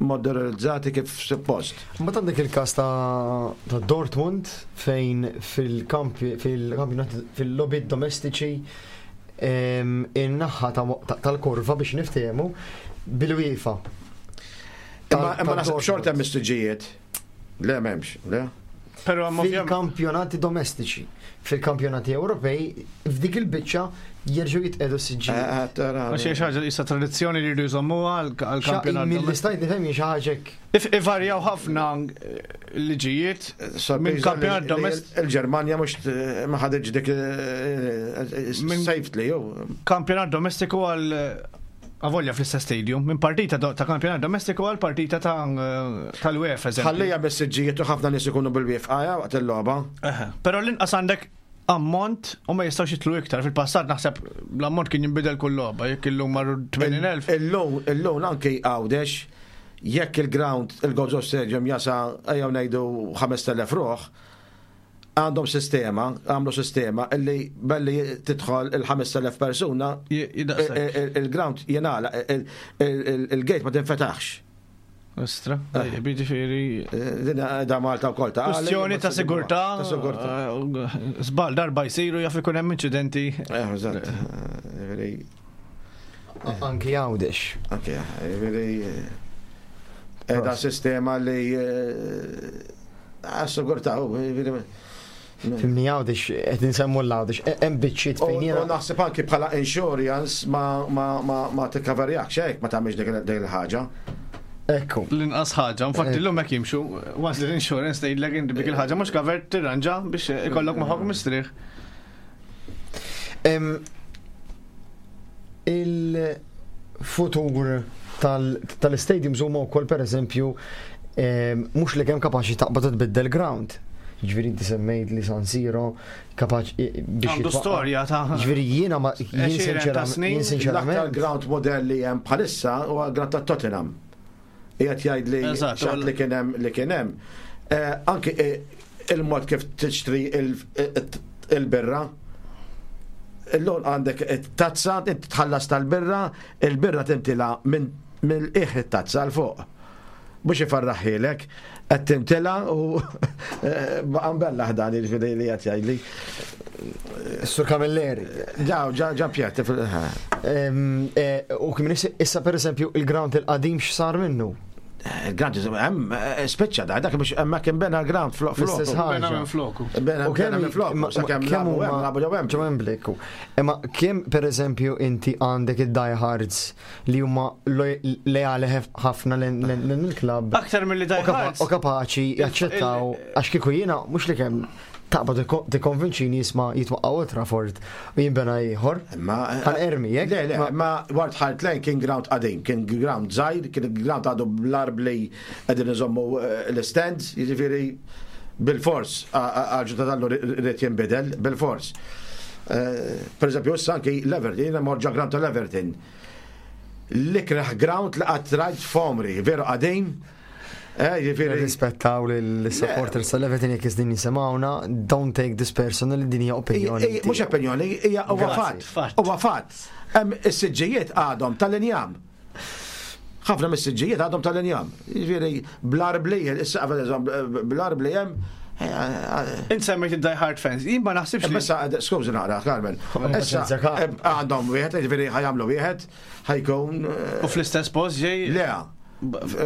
Speaker 3: modernizzati kif suppost.
Speaker 2: Mbagħad għandek il-każ ta' ta' Dortmund fejn fil-kampi fil-kampjonat fil-logħbiet domestiċi em, in-naħa ta' ta- tal-kurva biex niftehmu bil-wieqfa.
Speaker 3: Imma
Speaker 2: Tal-
Speaker 3: imma naħseb
Speaker 2: tal-Dortmund.
Speaker 3: xorta hemm siġġijiet. Le m'hemmx, le.
Speaker 4: Però hemm ovvjament
Speaker 2: Fil-kampjonati domestiċi, fil-kampjonati Ewropej, f'dik il-biċċa jerġgħu jitqegħdu siġġijiet.
Speaker 3: Eh, tara.
Speaker 4: Għax hija xi ħaġa issa tradizzjoni li jridu jżommuha għall-kampjonat.
Speaker 2: Mill-li stajt nifhem xi ħaġa hekk.
Speaker 4: If ivarjaw ħafna eh, liġijiet
Speaker 3: Sorpriża
Speaker 4: minn
Speaker 3: li-
Speaker 4: kampjonat
Speaker 3: li
Speaker 4: domestiku.
Speaker 3: Il-Ġermanja mhux eh, ma ħaditx dik eh,
Speaker 4: Minn-
Speaker 3: safely jew.
Speaker 4: Kampjonat domestiku għal avolja fl-istess stadium, minn partita do- ta' kampjonat domestiku għal partita ta' tal-UEFA, eżempju.
Speaker 3: Ħallija bis-siġġijiet u ħafna nies ikunu bil-wieqfa ja, waqt il-logħba.
Speaker 4: Eħe. Però l-inqas għandek ammont u ma jistgħux jitlu iktar. Fil-passat naħseb l-ammont kien jinbidel kull logħba, jekk illum marru tmenin elf.
Speaker 3: Illum, illum anki Għawdex, jekk il-ground, il-Gozo Stadium jasa, ejjew ngħidu ħamest elef ruħ, għandhom sistema, għamlu sistema illi belli tidħol il-ħamest elef persuna,
Speaker 4: J- jidaqsek.
Speaker 3: il- il- il-ground jingħalaq, il- il- il- il-gate ma tinfetaħx.
Speaker 4: Ostra, tajjeb, jiġifieri.
Speaker 3: Din da Malta wkoll ta'
Speaker 4: Kwestjoni ta' sigurtà.
Speaker 3: Ta' sigurtà.
Speaker 4: eh, Żball darba jsiru jaf ikun hemm inċidenti.
Speaker 3: Eh, eżatt. Jiġifieri,
Speaker 2: Anki Għawdex.
Speaker 3: Anke, jiġifieri, eh, da sistema li għas-sigurtà, jiġifieri,
Speaker 2: Fhimni Għawdex, qed insemmu l-Għawdex, hemm biċċiet
Speaker 3: U
Speaker 2: fejn
Speaker 3: u
Speaker 2: jiena.
Speaker 3: naħseb anki bħala insurance ma ma ma ma tikkaverjak xejn ma tagħmilx dik dik il-ħaġa.
Speaker 2: Ekku.
Speaker 4: L-inqas ħaġa, infatti llum hekk jimxu, once l-insurance tgħidlek inti dik il-ħaġa mhux covered tirranġa biex ikollok moħħok mistrieħ.
Speaker 2: Em, Il futur tal-stadiums huma wkoll, pereżempju, mhux li kemm kapaċi taqbad tbiddel ground. Ġifieri inti semmejt li San Siro kapaċi
Speaker 4: biex. Għandu storja ta'
Speaker 2: Ġifieri jiena ma jien sinċerament.
Speaker 3: L-aktar ground model li hemm bħalissa huwa ground ta' Tottenham. Qiegħed jgħid li xatt li kien hemm li kien hemm. Anki il-mod kif tixtri il-birra. Illum għandek tazza, inti tħallas tal-birra, il-birra timtila mill-qiegħ it-tazza 'l fuq. Mhux ifarraħħilek, qed timtila u għambella ħdan il-fidej li qed jgħidli.
Speaker 2: Sur Camilleri.
Speaker 3: Ġa, ġa, ġa pjett.
Speaker 2: U kien issa, pereżempju, il-ground il-qadim x'sar minnu?
Speaker 3: Il-ground hemm spiċċa da, dak biex hemmhekk kien bena l-ground flok.
Speaker 2: L-istess ħaġa.
Speaker 4: Bena minn floku.
Speaker 3: Bena minn floku, sakemm lagħbu hemm, lagħbu ġew hemm.
Speaker 2: Ġew hemm. Imma kemm, pereżempju, inti għandek id-diehards li huma leali ħafna lejn il-klabb.
Speaker 4: Aktar milli diehards.
Speaker 2: U kapaċi jaċċettaw, għax kieku jiena mhux li kemm taqbad tikkonvinċini jisma' jitwaqqa' Old Trafford u jinbena ieħor. Ħa nermi jekk.
Speaker 3: Le, le, ma White Hart Lane kien ground qadim, kien ground żgħir, kien ground għadu bl-arbli qegħdin iżommu l-stands, jiġifieri bil-fors għal dallu rrid jinbidel, bil-fors. Per eżempju, issa anki l-Everton, jiena mort ġo ground tal-Everton. L-ikraħ ground li qatt rajt f'għomri, veru qadim. Ġifieri.
Speaker 2: Rispettaw l-supporters tal-Everton jekk din jisimgħuna, don't take this personally, din hija opinjoni.
Speaker 3: Mhux opinjoni, hija huwa fatt. Huwa fatt. Hemm is-siġġijiet għadhom tal-injam. Ħafna mis-siġġijiet għadhom tal-injam. Ġifieri bl-arbli, is-saqaf bl-arbli hemm.
Speaker 4: Int semmejt id-die hard fans, jien ma naħsibx li.
Speaker 3: Issa, skużi naqra, Carmen. Issa għandhom wieħed, ġifieri ħa jagħmlu wieħed, ħa jkun.
Speaker 4: U fl-istess post ġej?
Speaker 3: Le,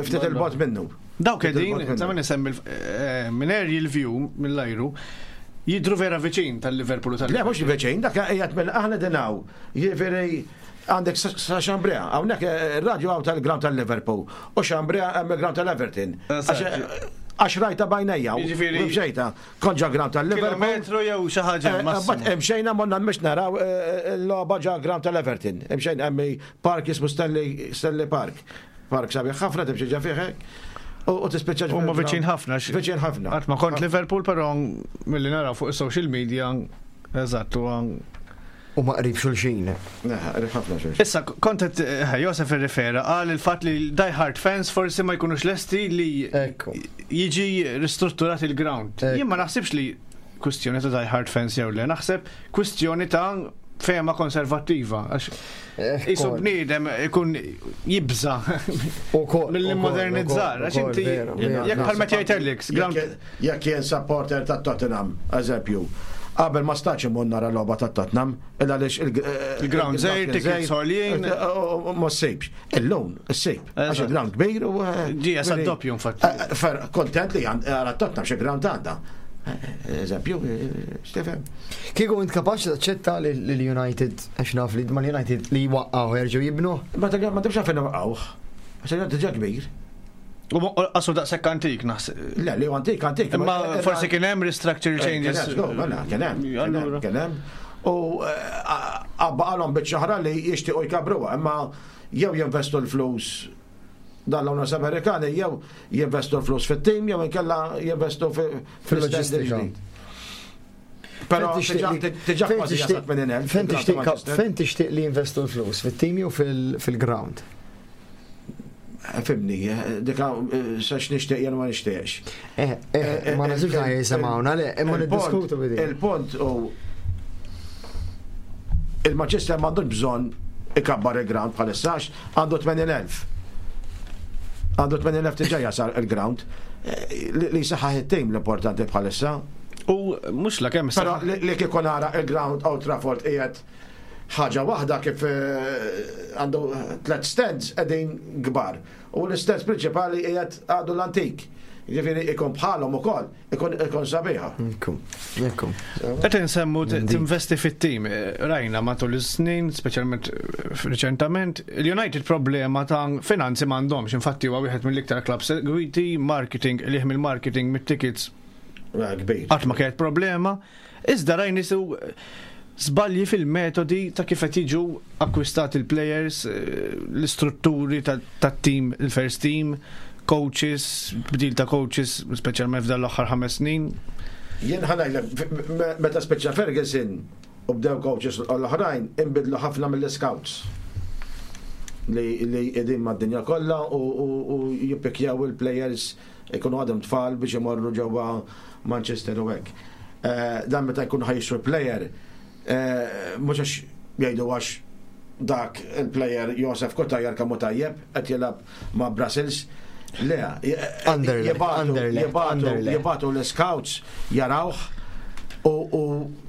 Speaker 3: ftit il-bogħod minnu.
Speaker 4: Dawk qegħdin, ta' min isemmi minn aerial view, mill-ajru, jidru vera viċin tal-Liverpool u tal
Speaker 3: Le, mhux viċin, dak qiegħed minn aħna dinaw. Jiġifieri għandek sa Xambrea, hawnhekk ir-radju hawn tal-ground tal-Liverpool u Xambrea hemm il-ground tal-Everton. Għax rajta bajnejja,
Speaker 4: Jiġifieri-
Speaker 3: u mxejta, kont ġo ground tal-Liverpool.
Speaker 4: Kilometru jew xi ħaġa
Speaker 3: Bat imxejna morna mhux naraw l-logħba ġo ground tal-Everton. Imxejna hemm park jismu Stanley Stanley Park. Park sabiħ ħafna, timxi ġa fih hekk. U tispiċċa
Speaker 4: Huma viċin ħafna.
Speaker 3: Viċin ħafna.
Speaker 4: Qatt ma kont Liverpool, però milli naraw fuq is-social media, eżatt, huwa
Speaker 2: U ma qrib xulxin.
Speaker 3: Qrib ħafna xulxin.
Speaker 4: Issa kont qed Josef irrifera għal il-fatt li die hard fans forsi ma jkunux lesti li jiġi ristrutturat il-ground. Jien ma naħsibx li kwistjoni ta' die hard fans jew le, naħseb kwistjoni ta' fehma konservattiva. Isu bniedem ikun jibża mill-modernizzar. Għax inti jekk bħal meta jgħid Alex,
Speaker 3: Jekk jien supporter ta' Tottenham, eżempju, qabel ma stax imur nara logħba ta' Tottenham, illa għaliex
Speaker 4: il-ground żgħir, tickets għoljin.
Speaker 3: Ma ssibx. Illum issib. Għax il-ground kbir u.
Speaker 4: Ġie sa doppju infatti.
Speaker 3: Kontent li għara Tottenham xi ground għandha. Eżempju, Stefan.
Speaker 2: Kieku int kapaċi taċċetta li l-United, għax naf li ma l-United li jwaqqgħu jerġgħu jibnu?
Speaker 3: Ma tibx għalfejn waqqgħuh. Għax diġà kbir.
Speaker 4: U qasu daqshekk antik naħseb.
Speaker 3: Le, li antik, antik.
Speaker 4: Imma forsi kien hemm restructural changes.
Speaker 3: Kien hemm, kien hemm. U għalhom biċċa oħra li jixtiequ jkabruha, imma jew jinvestu l-flus dan l-owners Amerikani, jew jinvestu l-flus fit-tim, jew inkella jinvestu
Speaker 2: fil-loġistika.
Speaker 3: Però diġà kważi jasal tmenin elf.
Speaker 2: Fejn tixtieq li jinvestu l-flus, fit-tim jew fil-ground?
Speaker 3: Fimni, dika sax nixtieq jien ma nixtieqx.
Speaker 2: Eh, eh, ma nażilx ħaj jisimgħuna, le, imma niddiskutu bidi.
Speaker 3: Il-punt u il-Manchester m'għandux bżonn ikabbar il-ground bħalissa għandu tmenin elf. Għandu tmenin elf diġà jasal il-ground li saħħaħ it-tim l-importanti bħalissa.
Speaker 4: U mhux la kemm
Speaker 3: Però li kieku nara il-ground Old Trafford qiegħed ħaġa waħda kif għandu tliet stands qegħdin kbar. U l-stands prinċipali qiegħed għadu l-antik. Ġifieri ikun bħalhom ukoll, ikun ikun sabiħa.
Speaker 2: Ekku, ekku.
Speaker 4: Qed insemmu tinvesti fit-tim. Rajna matul is-snin, speċjalment riċentament, il-United problema ta' finanzi m'għandhomx. Infatti huwa wieħed mill-iktar clubs segwiti, marketing, liħ mill-marketing, mit-tickets.
Speaker 3: Kbir.
Speaker 4: Qatt ma kienet problema. Iżda rajni su żbalji fil-metodi ta' kif qed jiġu akkwistati il-players, eh, l-istrutturi tat-team, il-first team, coaches, bdil ta' coaches, speċjalment f'dan l-aħħar ħames snin.
Speaker 3: Jien ħa ngħidlek, meta speċa Ferguson u bdew coaches l-oħrajn, inbidlu ħafna mill-scouts li li qegħdin mad-dinja kollha u, u, u jippikjaw il-players ikunu għadhom tfal biex imorru ġewwa Manchester u hekk. Eh, Dan meta jkunu ħa jixtru player, eh, mhux għax jgħidu għax dak il-player Josef Cutajar kemm hu tajjeb qed jilgħab ma' Brussels. Le,
Speaker 2: Anderlecht,
Speaker 3: jibagħtu
Speaker 2: Anderlecht,
Speaker 3: jibagħtu
Speaker 2: Anderlecht.
Speaker 3: jibagħtu l-scouts jarawh u, u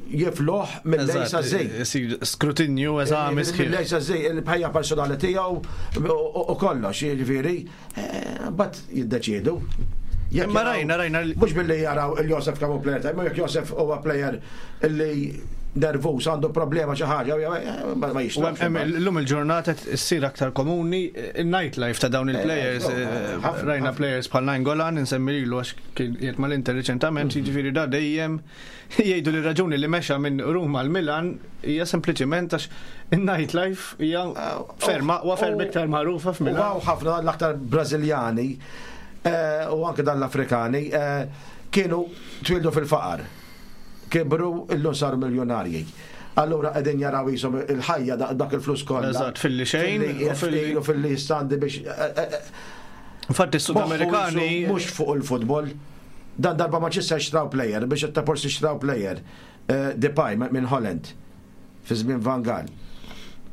Speaker 3: jifluh mill-A sa Z.
Speaker 4: Isir skrutinju, eżami sħiħ.
Speaker 3: Mill-A sa Z, il-ħajja personali tiegħu u u kollox, jiġifieri, eh, but jiddeċiedu. Jekk
Speaker 4: Imma
Speaker 3: jaraw-
Speaker 4: rajna, rajna li-
Speaker 3: Mhux billi jaraw il-Josef kemm hu player tajjeb, jekk Josef huwa player illi nervus, għandu problema xi ħaġa, eh, ma ma
Speaker 4: U
Speaker 3: jixtrax.
Speaker 4: hemm- hemm Illum il-ġurnata ssir aktar komuni il-nightlife ta' dawn il-players.
Speaker 3: Eh,
Speaker 4: eh,
Speaker 3: ħafna,
Speaker 4: Rajna
Speaker 3: ħafna.
Speaker 4: players bħal Nainggolan, insemmi lilu għax kien qiegħed mal-Inter reċentament, jiġifieri da dejjem jgħidu li raġuni li mexa minn Ruma l Milan hija sempliċiment għax il-nightlife hija ferma aqwa ferm iktar magħrufa
Speaker 3: U
Speaker 4: f'Milan.
Speaker 3: hawn ħafna l-aktar Brażiljani eh, u anke dan l-Afrikani eh, kienu twildu fil-faqar. Kibru illum saru miljonarji. Allura qegħdin jaraw jisom il-ħajja da- dak il-flus kollha.
Speaker 4: Eżatt, filli xejn
Speaker 3: Filli
Speaker 4: u filli-
Speaker 3: u filli standi biex eh, eh, eh,
Speaker 4: Infatti s-Sudamerikani
Speaker 3: moħħu mhux fuq il-futbol. Dan darba Manchester xtraw player biex ta' forsi xtraw player eh, Depay minn Holland fi żmien Van Gaal.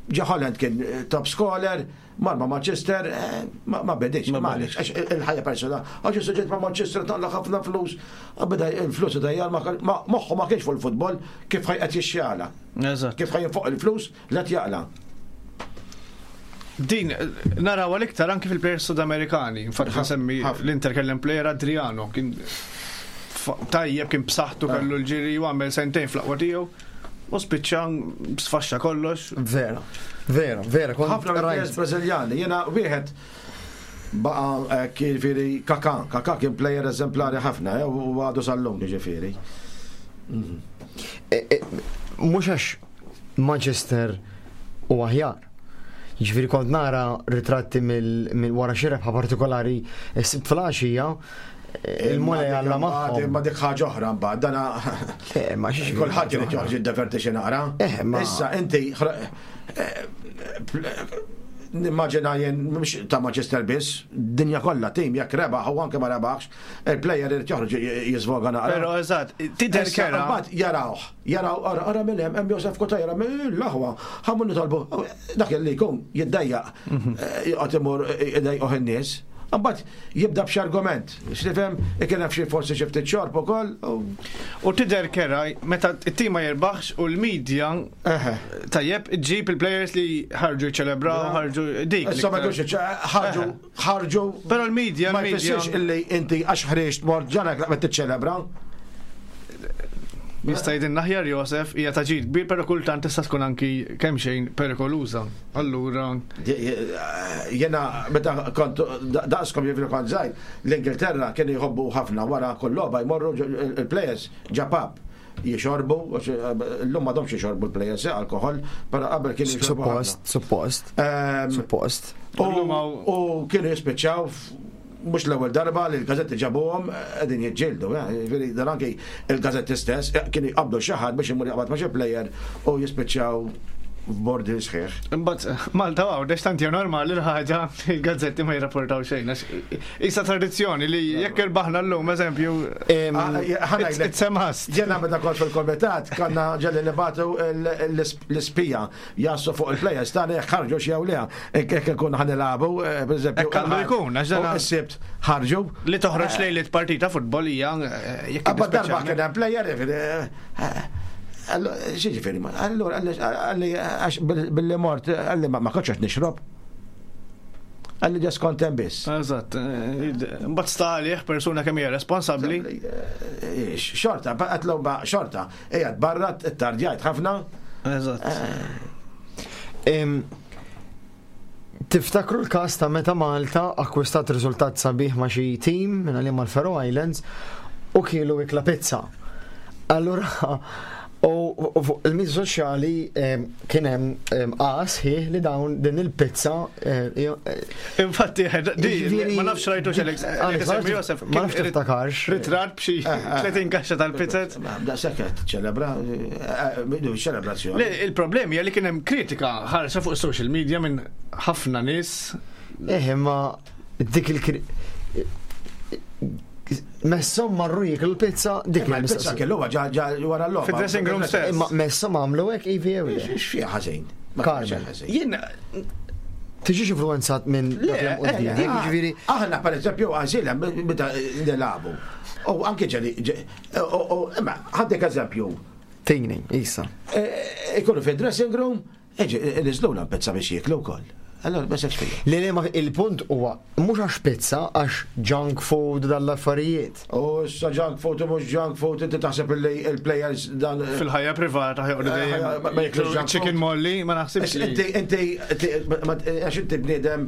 Speaker 3: Ġa Holland kien eh, top scorer, mar ma' Manchester, eh, ma ma bedix,
Speaker 4: Ma
Speaker 3: ma
Speaker 4: bedix.
Speaker 3: għalix, għax il-ħajja persona, għax suġġett ma' Manchester taqla ħafna flus, beda il-flus dajjar, ma moħħu ma kienx fuq il-futbol, kif ħaj qed jixxjala,
Speaker 4: Eżatt.
Speaker 3: kif ħaj fuq il-flus, la jaqla.
Speaker 4: Din, naraw għal-iktar anki fil-players Sudamerikani. Infatti nsemmi
Speaker 3: ħafna.
Speaker 4: l-Inter kellem player Adriano, kien fa- tajjeb, kien b'saħħtu kellu l-ġiri u għamel sentejn fl-aqwa tiegħu. U spiċċa sfaxxa kollox.
Speaker 2: Vera, vera, vera, kont
Speaker 3: ħafna mill-players
Speaker 2: rajt.
Speaker 3: Brażiljani, jiena wieħed baqa eh, ġifieri Kaka, Kaka kien player eżemplari ħafna, eh, u għadu sal-lum ġifieri.
Speaker 2: E- e, Mhux għax Manchester u aħjar. Ġifieri kont nara ritratti mill mill wara xi rebħa partikolari s-Sibt filgħaxija il-Mulej Alla magħhom.
Speaker 3: Ma dik ħaġa oħra mbagħad, dana
Speaker 2: Eh, ma xiex
Speaker 3: kulħadd irid joħroġ jiddeverti xi naqra.
Speaker 2: Eh, ma-
Speaker 3: Issa inti ħra- eh, nimmaġina jien mhux ta' Manchester biss, dinja kollha tim jekk rebaħ u anke ma rebaħx, il-player irid joħroġ jiżvoga naqra.
Speaker 4: Pero eżatt, tidher
Speaker 3: Issa,
Speaker 4: kera.
Speaker 3: Mbagħad jarawh, jaraw, ara, ara minn hemm hemm Josef Cutajar, l-aħwa, ħammu nitolbu, dak li jkun jiddejjaq, eh, joqgħod imur idejquh in-nies. Mbagħad jibda b'xi argument, x'tifhem, ikun hemm xi forsi xi ftit xorb ukoll. u-
Speaker 4: U tidher kera meta it-tim ma jirbaħx u l-medja
Speaker 3: Eħe.
Speaker 4: tajjeb iġġib il-players li ħarġu jċelebraw, ħarġu dik.
Speaker 3: Issa ma
Speaker 4: l-iktar.
Speaker 3: jkunx ħarġu ħarġu.
Speaker 4: Però l-medja,
Speaker 3: ma
Speaker 4: l-medja
Speaker 3: jfissirx illi inti għax ħriġt mort ġanak laqmet tiċċelebra.
Speaker 4: Jista' jgħidilna aħjar Josef hija ta' ġid kbir, però kultant tista' tkun anki kemm xejn perikoluża. Allura
Speaker 3: Jena, meta kont daqskom jifri kont żgħir, l-Ingilterra kienu jħobbu ħafna wara kull logħba jmorru ġo- il-players ġo pub jixorbu, għax, l-lum m'għadhomx jixorbu l-players eh, alkohol, però qabel kienu jixorbu. ħafna.
Speaker 2: Suppost, suppost,
Speaker 3: Ehm,
Speaker 2: suppost.
Speaker 3: U
Speaker 4: Illum hawn-
Speaker 3: u kienu jispiċċaw f- mhux l-ewwel darba li l-gazetti ġabuhom qegħdin jiġġieldu, eh, jiġifieri dan anki il-gazetti stess eh, kienu jqabdu xi ħadd biex imur jaqbad ma' xi player u jispiċċaw f'bordi sħiħ.
Speaker 4: Imbagħad Malta Għawdex tant hija normali l-ħaġa il-gazzetti ma jirrapportaw xejn. għax Issa tradizzjoni li jekk irbaħna llum eżempju
Speaker 2: Em,
Speaker 3: Ah, ħa ngħidlek,
Speaker 4: it's a must.
Speaker 3: Jena meta kont fil-komitat, konna ġelli nibagħtu l-ispija jassu fuq il-players tagħna jekk ħarġu xi jew le. Jekk ikun ħa nilagħbu, eh, pereżempju.
Speaker 4: Hekk għandu jkun, għax dana-
Speaker 3: U s-Sibt ħarġu.
Speaker 4: Li toħroġ lejlet partita futbol hija eh, jekk
Speaker 3: Abba darba
Speaker 4: speċjalment-
Speaker 3: kien hemm player, jiġifieri, eh, Allora, xi ġifieri, ma- allora, għalli, għax billi mort, għalli ma ma kontx qed nixrob. Għalli ġas kont hemm biss.
Speaker 4: Eżatt, eh, mbagħad sta għalih persuna kemm hija responsabbli.
Speaker 3: Eh, Xorta, għatlu ba xorta, ejja barra tardjajt ħafna.
Speaker 4: Eżatt.
Speaker 2: em, Tiftakru l-kas ta' meta Malta akkwistat riżultat sabiħ ma' xi team minn għalih mal-Faroe Islands u kielu ikla pizza. Allura U fuq il-mezzi soċjali kien hemm qas ħieħ li dawn din il-pizza.
Speaker 4: Infatti, ma nafx rajtu x'Alex. Josef,
Speaker 2: ma nafx tiftakarx.
Speaker 4: Ritratt b'xi tletin kaxxa tal-pizzet.
Speaker 3: Da seket, ċelebra, ċelebrazzjoni.
Speaker 4: Il-problemi hija li kien hemm kritika ħarsa fuq social media minn ħafna nies.
Speaker 2: Eh, imma dik il Messhom marru jieklu l-pizza dik
Speaker 3: il-pizza kellu ġa wara l-logħba.
Speaker 4: Fid-dressing room stess.
Speaker 2: Imma messhom għamlu hekk ivi jew le.
Speaker 3: X'fiha ħażin?
Speaker 2: Carmel.
Speaker 4: Jien
Speaker 2: tiġix influenzat minn dak li hemm quddiem. Jiġifieri
Speaker 3: aħna pereżempju għażil meta nilagħbu. U anke ġeli imma ħaddek eżempju.
Speaker 2: Tini, issa.
Speaker 3: Ikunu fid-dressing room, niżluna pizza biex jieklu wkoll. Allora, ma sefx fija.
Speaker 2: Le, le, ma il-punt huwa mhux għax pizza, għax junk food dal-affarijiet.
Speaker 3: U issa junk food u mhux junk food, inti taħseb li il-players dan.
Speaker 4: Fil-ħajja privata ħjoqdu dejjem.
Speaker 3: Ma jiklux junk
Speaker 4: Chicken molly, ma naħsibx.
Speaker 3: Inti, inti, għax inti bniedem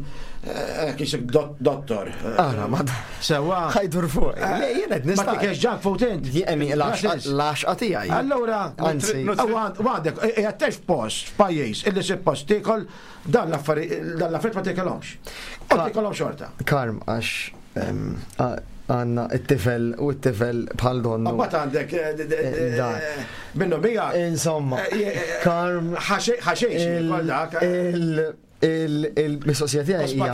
Speaker 3: kisek dottor.
Speaker 2: Ara, ma.
Speaker 3: Sewa.
Speaker 2: Ħajdur fuq. Le, jien qed nista'.
Speaker 3: Ma tikelx junk food int.
Speaker 2: Jien l-għaxqa tiegħi.
Speaker 3: Allura,
Speaker 2: anzi,
Speaker 3: għandek, qiegħed f'post, f'pajjiż, illi suppost tiekol dan l-affarijiet dan l-affarijiet ma tikelhomx. U tikolhom xorta.
Speaker 2: Karm, għax għandna it-tifel u t-tifel bħal donnu.
Speaker 3: Mbagħad għandek minnu bija.
Speaker 2: Insomma, Karm.
Speaker 3: Ħaxejx kol dak.
Speaker 2: Il-mistoqsija tiegħi hija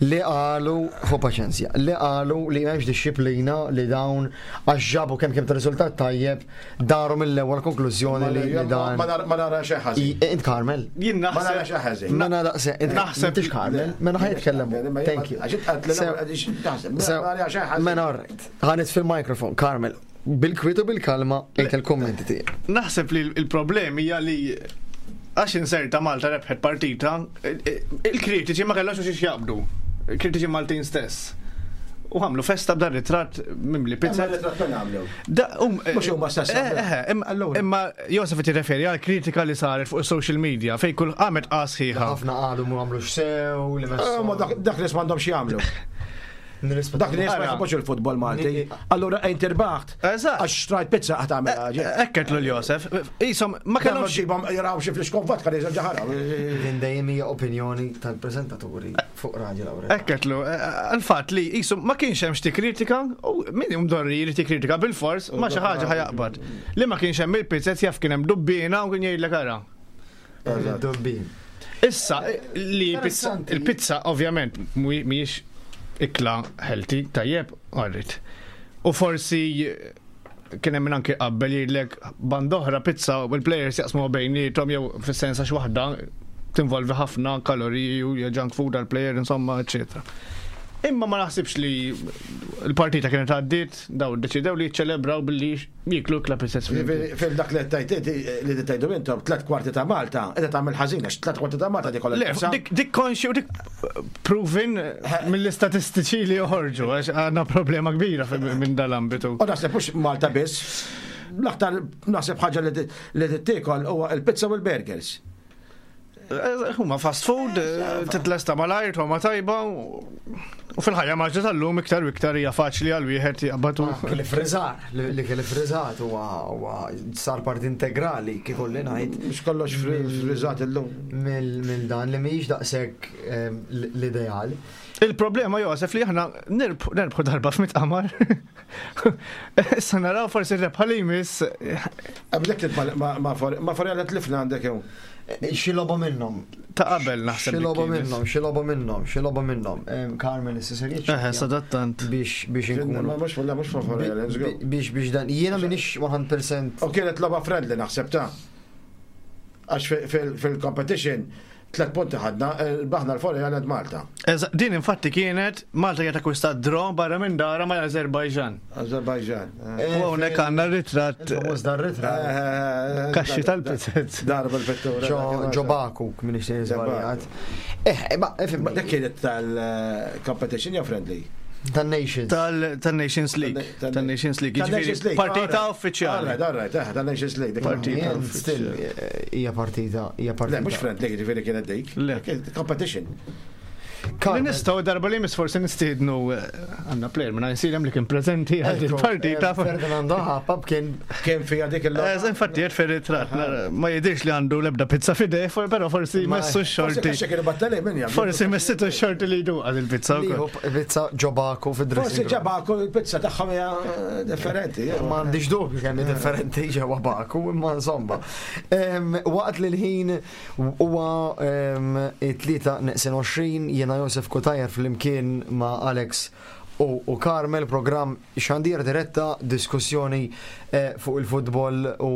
Speaker 2: li qalu, ħu paċenzja, li qalu li m'hemmx dixxiplina li dawn għax ġabu kemm kemm ta' riżultat tajjeb daru mill-ewwel konklużjoni li dan.
Speaker 3: Ma nara xi ħażin.
Speaker 2: Int Carmel.
Speaker 4: Jien
Speaker 3: Ma nara xi ħażin.
Speaker 2: Ma nara naħseb intix Carmel, mela ħa jitkellem. Thank you. Mela all right. Ħanet fil-mikrofon, Carmel. Bil-kwiet u bil-kalma int il-kummenti tiegħek.
Speaker 4: Naħseb li l-problemi hija li għax inserta Malta rebħet partita, il-kritiċi ma kellhomx xiex jaqbdu. Il-kritiċi Maltin stess. U għamlu festa b'dan ritratt mimli pizza.
Speaker 3: Ritratt fejn għamlu?
Speaker 4: Mhux
Speaker 3: huma stess.
Speaker 4: Imma Josef qed jirreferi għal kritika li saret fuq is-social media fejn kull qamet qasħiħa.
Speaker 2: Ħafna qalu mu għamlu x'sew li
Speaker 3: messu. Dak li m'għandhomx jagħmlu. Dak li ma jħobbux il-futbol Malti. Allura ejn tirbaħt. Għax xtrajt pizza qed tagħmel ħaġa.
Speaker 4: Ekket lil Josef. Isom ma kellhomx
Speaker 3: ġibhom jaraw xi flixkon vodka li ġaħara.
Speaker 2: Din dejjem hija opinjoni tal-preżentaturi fuq Radio Laura.
Speaker 4: Ekketlu, għal-fatt li isom ma kienx hemm xi kritika u min imdorri jrid jikkritika bil-fors ma xi ħaġa ħajaqbad. Li ma kienx hemm il-pizzet jaf kien hemm dubbina u kien jgħidlek ara.
Speaker 2: Dubbin.
Speaker 4: Issa li il-pizza ovvjament mhijiex ikla healthy, tajjeb, għarrit. U forsi kien hemm anke qabel jgħidlek band oħra pizza u l-players jaqsmu bejniethom jew fis-sens għax waħda tinvolvi ħafna kaloriji u junk food għall-player insomma, eċetera. Imma ma naħsibx li l-partita kienet għaddiet, daw ddeċidew li jiċċelebraw billi jieklu ikla pizzet.
Speaker 3: Fil-dak li tajt li tajdu intom tliet kwarti ta' Malta, qiegħda tagħmel ħażin għax tliet kwarti ta' Malta dik kollha.
Speaker 4: Dik konxi u dik proven mill-istatistiċi li joħorġu għax għandna problema kbira minn dal-ambitu.
Speaker 3: U naħseb mhux Malta biss, l-aktar naħseb ħaġa li tiekol huwa l-pizza u l-burgers.
Speaker 4: Huma fast food, titlesta malajr, huma tajba, u fil-ħajja maġġa tal-lum iktar u iktar hija faċli għal wieħed jaqbad.
Speaker 2: Li friżar, li kelli friżat huwa sar parti integrali kif kolli ngħid.
Speaker 3: Mhux kollox friżat illum.
Speaker 2: Mill dan li mhijiex daqshekk l-ideal.
Speaker 4: Il-problema Josef li aħna nirbħu darba f'mit qamar. Issa naraw forsi rebħa li jmiss.
Speaker 3: Qablek ma forjala tlifna għandek jew.
Speaker 2: Xi logħba minnhom.
Speaker 4: Ta' qabel naħseb.
Speaker 2: Xi logħba minnhom, xi logħba minnhom, xi logħba minnhom. Carmen issa ser jiġi.
Speaker 4: Eħe, sadattant.
Speaker 2: Biex biex inkunu.
Speaker 3: Mhux mhux forjala.
Speaker 2: Biex biex dan jiena m'iniex mija fil-mija.
Speaker 3: U kienet logħba friendly naħseb ta'. Għax fil-competition tlet punti ħadna, baħna l-forja għal Malta.
Speaker 4: Din infatti kienet Malta kienet akkwistat draw barra minn dara mal Azerbajġan.
Speaker 3: Azerbajġan.
Speaker 4: U hawnhekk għandna ritratt.
Speaker 2: Famuż dan ritratt.
Speaker 4: Kaxxi tal-pizzet.
Speaker 3: Darba l-vettura.
Speaker 2: Ġo Baku, minn ixtieq żbaljat. Eh, ma
Speaker 3: dak kienet tal-competition jew friendly?
Speaker 2: Tal-Nations.
Speaker 4: Tal-Nations League. Tal-Nations League. Jiġifieri partita uffiċjali.
Speaker 3: Alright, alright, eh, tal-Nations League.
Speaker 4: Partita.
Speaker 2: Still, hija partita, hija partita.
Speaker 3: Le, mhux friendly, jiġifieri kienet dik. Le. Competition.
Speaker 4: Li nistgħu darba li jmiss forsi nistiednu eh, għandna player minn Għajnsielem li kien preżenti għal il-partita.
Speaker 2: Eh, Ferdinando Ħapab kien
Speaker 3: Kien fija dik il
Speaker 4: Eh, Infatti jgħid fir-ritratt, ma jidirx li għandu lebda pizza f'idejh, for- però forsi
Speaker 2: Ma-
Speaker 4: messu x-xorti.
Speaker 3: Forsi kienu battali minn jaf.
Speaker 4: Forsi messitu x-xorti li jduqa il-pizza
Speaker 2: liħu
Speaker 4: wkoll.
Speaker 2: pizza ġobaku
Speaker 3: Forsi
Speaker 2: fid-dressing room.
Speaker 3: ġabaku il-pizza tagħhom hija eh, differenti.
Speaker 2: Ma għandix dubju kemm hi differenti ġewwa Baku, imma insomma. Em, Waqt li l-ħin huwa em, it-tlieta neqsin għoxrin, jiena Josef Cutajar flimkien ma' Alex u, u Carmel, programm xandir diretta, diskussjoni eh, fuq il-futbol u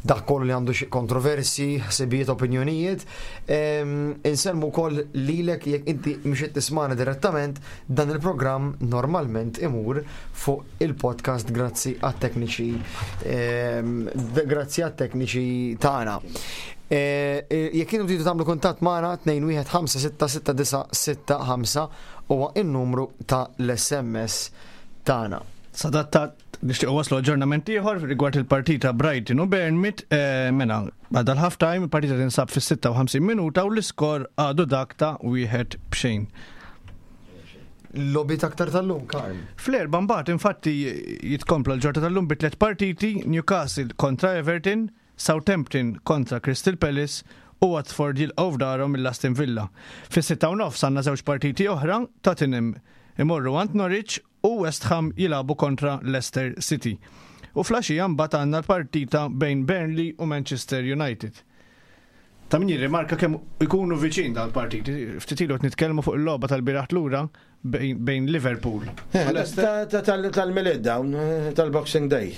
Speaker 2: dak kollu li għandu xi kontroversi, ħsibijiet, opinjonijiet. Em, Insellmu wkoll lilek jekk inti mhux qed tismana direttament, dan il-programm normalment imur fuq il-podcast grazzi għat-tekniċi em, d- grazzi għat-tekniċi tagħna. Eh, eh, Jekk intom tridu tagħmlu kuntatt magħna tnejn wieħed ħamsa sitta sitta disa' sitta ħamsa huwa n-numru ta' l-S M S tagħna.
Speaker 4: Sadattat nixtieq waslu aġġornament ieħor rigward il-partita Brighton u Bournemouth, eh, mela għadha l-half time, il-partita tinsab fis-sitta u ħamsin minuta u l-iskor għadu dak ta' wieħed b'xejn.
Speaker 2: Logħbiet aktar tal-lum, Karl.
Speaker 4: Fl-erba mbagħad infatti jitkompla l-ġorta tal-lum bi tliet partiti: Newcastle kontra Everton, Southampton kontra Crystal Palace u Watford jilqgħu f'darhom mill-Aston Villa. Fis-sitta u nofs għandna żewġ partiti oħra: Tottenham imorru għand Norwich u West Ham jilagħbu kontra Leicester City. U filgħaxija mbagħad għandna l-partita bejn Burnley u Manchester United. Ta' min jirrimarka kemm ikunu viċin dal-partiti. Ftit ilu qed nitkellmu fuq il-logħba tal-bieraħ lura bejn bejn Liverpool u Leicester.
Speaker 3: Tal-Milied dawn, eh, tal-Boxing Day.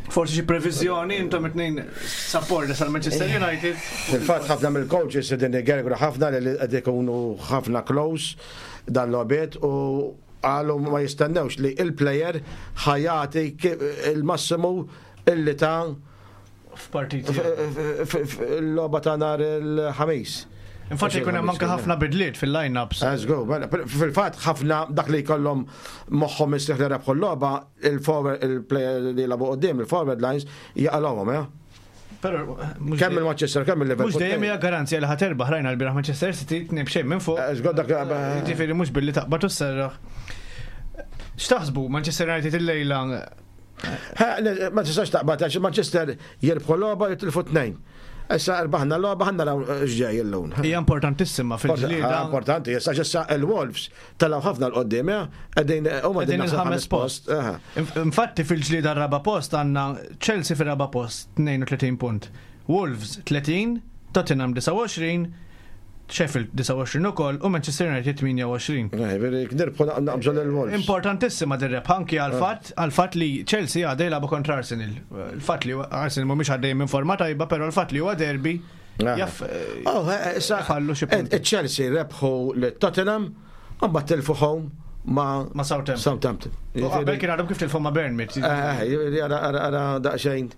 Speaker 4: Forsi xi previżjoni, intom it-tnejn supporters tal Manchester United.
Speaker 3: Fil-fatt ħafna mill-coaches qegħdin igergru ħafna li qed ikunu ħafna close dan logħbiet u qalu ma jistennewx li il-player ħa jagħti il-massimu illi ta'
Speaker 4: F'partiti.
Speaker 3: l-logħba ta' nhar il-Ħamis.
Speaker 4: Infatti jkun hemm anke ħafna bidliet fil-line-ups.
Speaker 3: Let's go. Mela, fil-fatt ħafna dak li jkollhom moħħhom mistrieħ li rebħu l-logħba, il-forward, il-player li jilagħbu quddiem, il-forward lines jaqalgħuhom, ja.
Speaker 4: Però mhux
Speaker 3: Kemm il-Manchester, kemm il-Liverpool.
Speaker 4: Mhux dejjem hija garanzija li ħa terbaħ. Rajna l-bieraħ Manchester City tnejn b'xejn minn fuq.
Speaker 3: Let's go dak.
Speaker 4: Ġifieri mhux billi taqbad u sserraħ. X'taħsbu Manchester United illejla?
Speaker 3: Ha, le, ma tistax taqbad għax Manchester jirbħu l-logħba, jitilfu tnejn. Issa rbaħna l-logħba, ħa naraw x'ġej illum.
Speaker 4: Hija importantissima fil-ġlieda.
Speaker 3: Importanti, issa issa il-Wolves telgħu ħafna 'l quddiem, ja? Qegħdin huma
Speaker 4: Qegħdin il-ħames post.
Speaker 3: Aha.
Speaker 4: Infatti fil-ġlieda r-raba post għandna Chelsea fil-raba post tnejn u tletin punt. Wolves tletin, Tottenham disgħa u għoxrin, Sheffield disgħa u għoxrin ukoll u Manchester United tmienja u għoxrin.
Speaker 3: Eh, veri, nirbħu naqbżu l-Wolves.
Speaker 4: Importantissima dir-rebħa anki għal-fatt għal-fatt li Chelsea għadej jilagħbu kontra Arsenal. Il-fatt li Arsenal mhumiex għaddej minn forma tajba, però l-fatt li huwa derby jaf
Speaker 3: Oh, eh, issa
Speaker 4: ħallu xi punti.
Speaker 3: Chelsea rebħu l-Tottenham, mbagħad tilfu home ma'
Speaker 4: Ma' Southampton.
Speaker 3: Southampton.
Speaker 4: U qabel kien għadhom kif tilfu ma' Bournemouth.
Speaker 3: Eh, jiġifieri ara ara ara daqsxejn.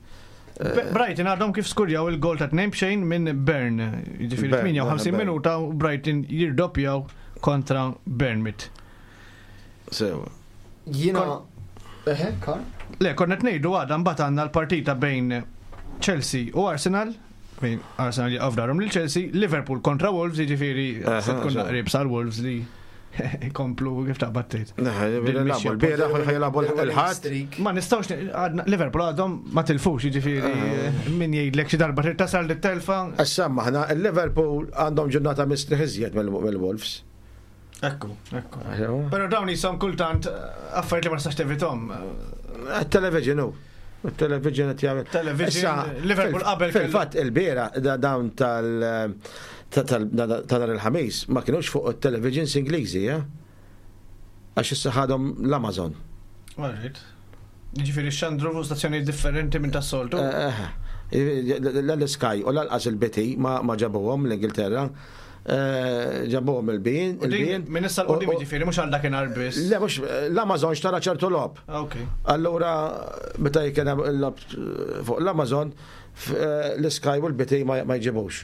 Speaker 4: Brighton għadhom kif skurjaw il-gol ta' tnejn b'xejn minn Burn. Jiġifieri
Speaker 3: Burn,
Speaker 4: tmienja u ħamsin
Speaker 3: Burn.
Speaker 4: minuta u Brighton jirdoppjaw kontra Bournemouth.
Speaker 3: Sewa.
Speaker 2: Jiena. Eħe, Karl?
Speaker 4: Le, konna ngħidu għada mbagħad għandna l-partita bejn Chelsea u Arsenal, bejn Arsenal jaqgħu f'darhom lil Chelsea, Liverpool kontra Wolves, jiġifieri se tkun
Speaker 3: sewa.
Speaker 4: naqrib sal Wolves li komplu kif taqbad tgħid.
Speaker 3: Jilagħbu l-bieraħ u jilagħbu l-Ħadd.
Speaker 2: Streak.
Speaker 4: Ma nistgħux għadna Liverpool għadhom ma tilfux, jiġifieri min jgħidlek xi darba trid tasal dit-telfa.
Speaker 3: Issa maħna il-Liverpool għandhom ġurnata mistrieħ iżjed mill-Wolves.
Speaker 4: Ekku, ekku. Però dawn jisom kultant eh, affarijiet li ma nistax tevitahom.
Speaker 3: Il-television hu. Il-television qed jagħmel.
Speaker 4: Television,
Speaker 3: Issa,
Speaker 4: Liverpool
Speaker 3: fil-
Speaker 4: qabel kellu-
Speaker 3: Fil-fatt il-bieraħ da- dawn tal ta' tal- ta' nhar il-Ħamis ma kienux fuq il-televisions Ingliżi, ja? Għax issa ħadhom l-Amazon.
Speaker 4: Alright. Jiġifieri xandru fuq stazzjonijiet differenti minn tas-soltu.
Speaker 3: Eh, L-Sky u lanqas il-B T ma ma ġabuhom l-Ingilterra. Eh, Ġabuhom il-beIN.
Speaker 4: U din minn issa 'l quddiem, jiġifieri mhux għal dakinhar biss.
Speaker 3: Le, mhux l-Amazon xtara ċertu logħob.
Speaker 4: Ok.
Speaker 3: Allura, meta jkun hemm il-logħob fuq l-Amazon, f- eh, l-Sky u l-B T ma ma jġibux.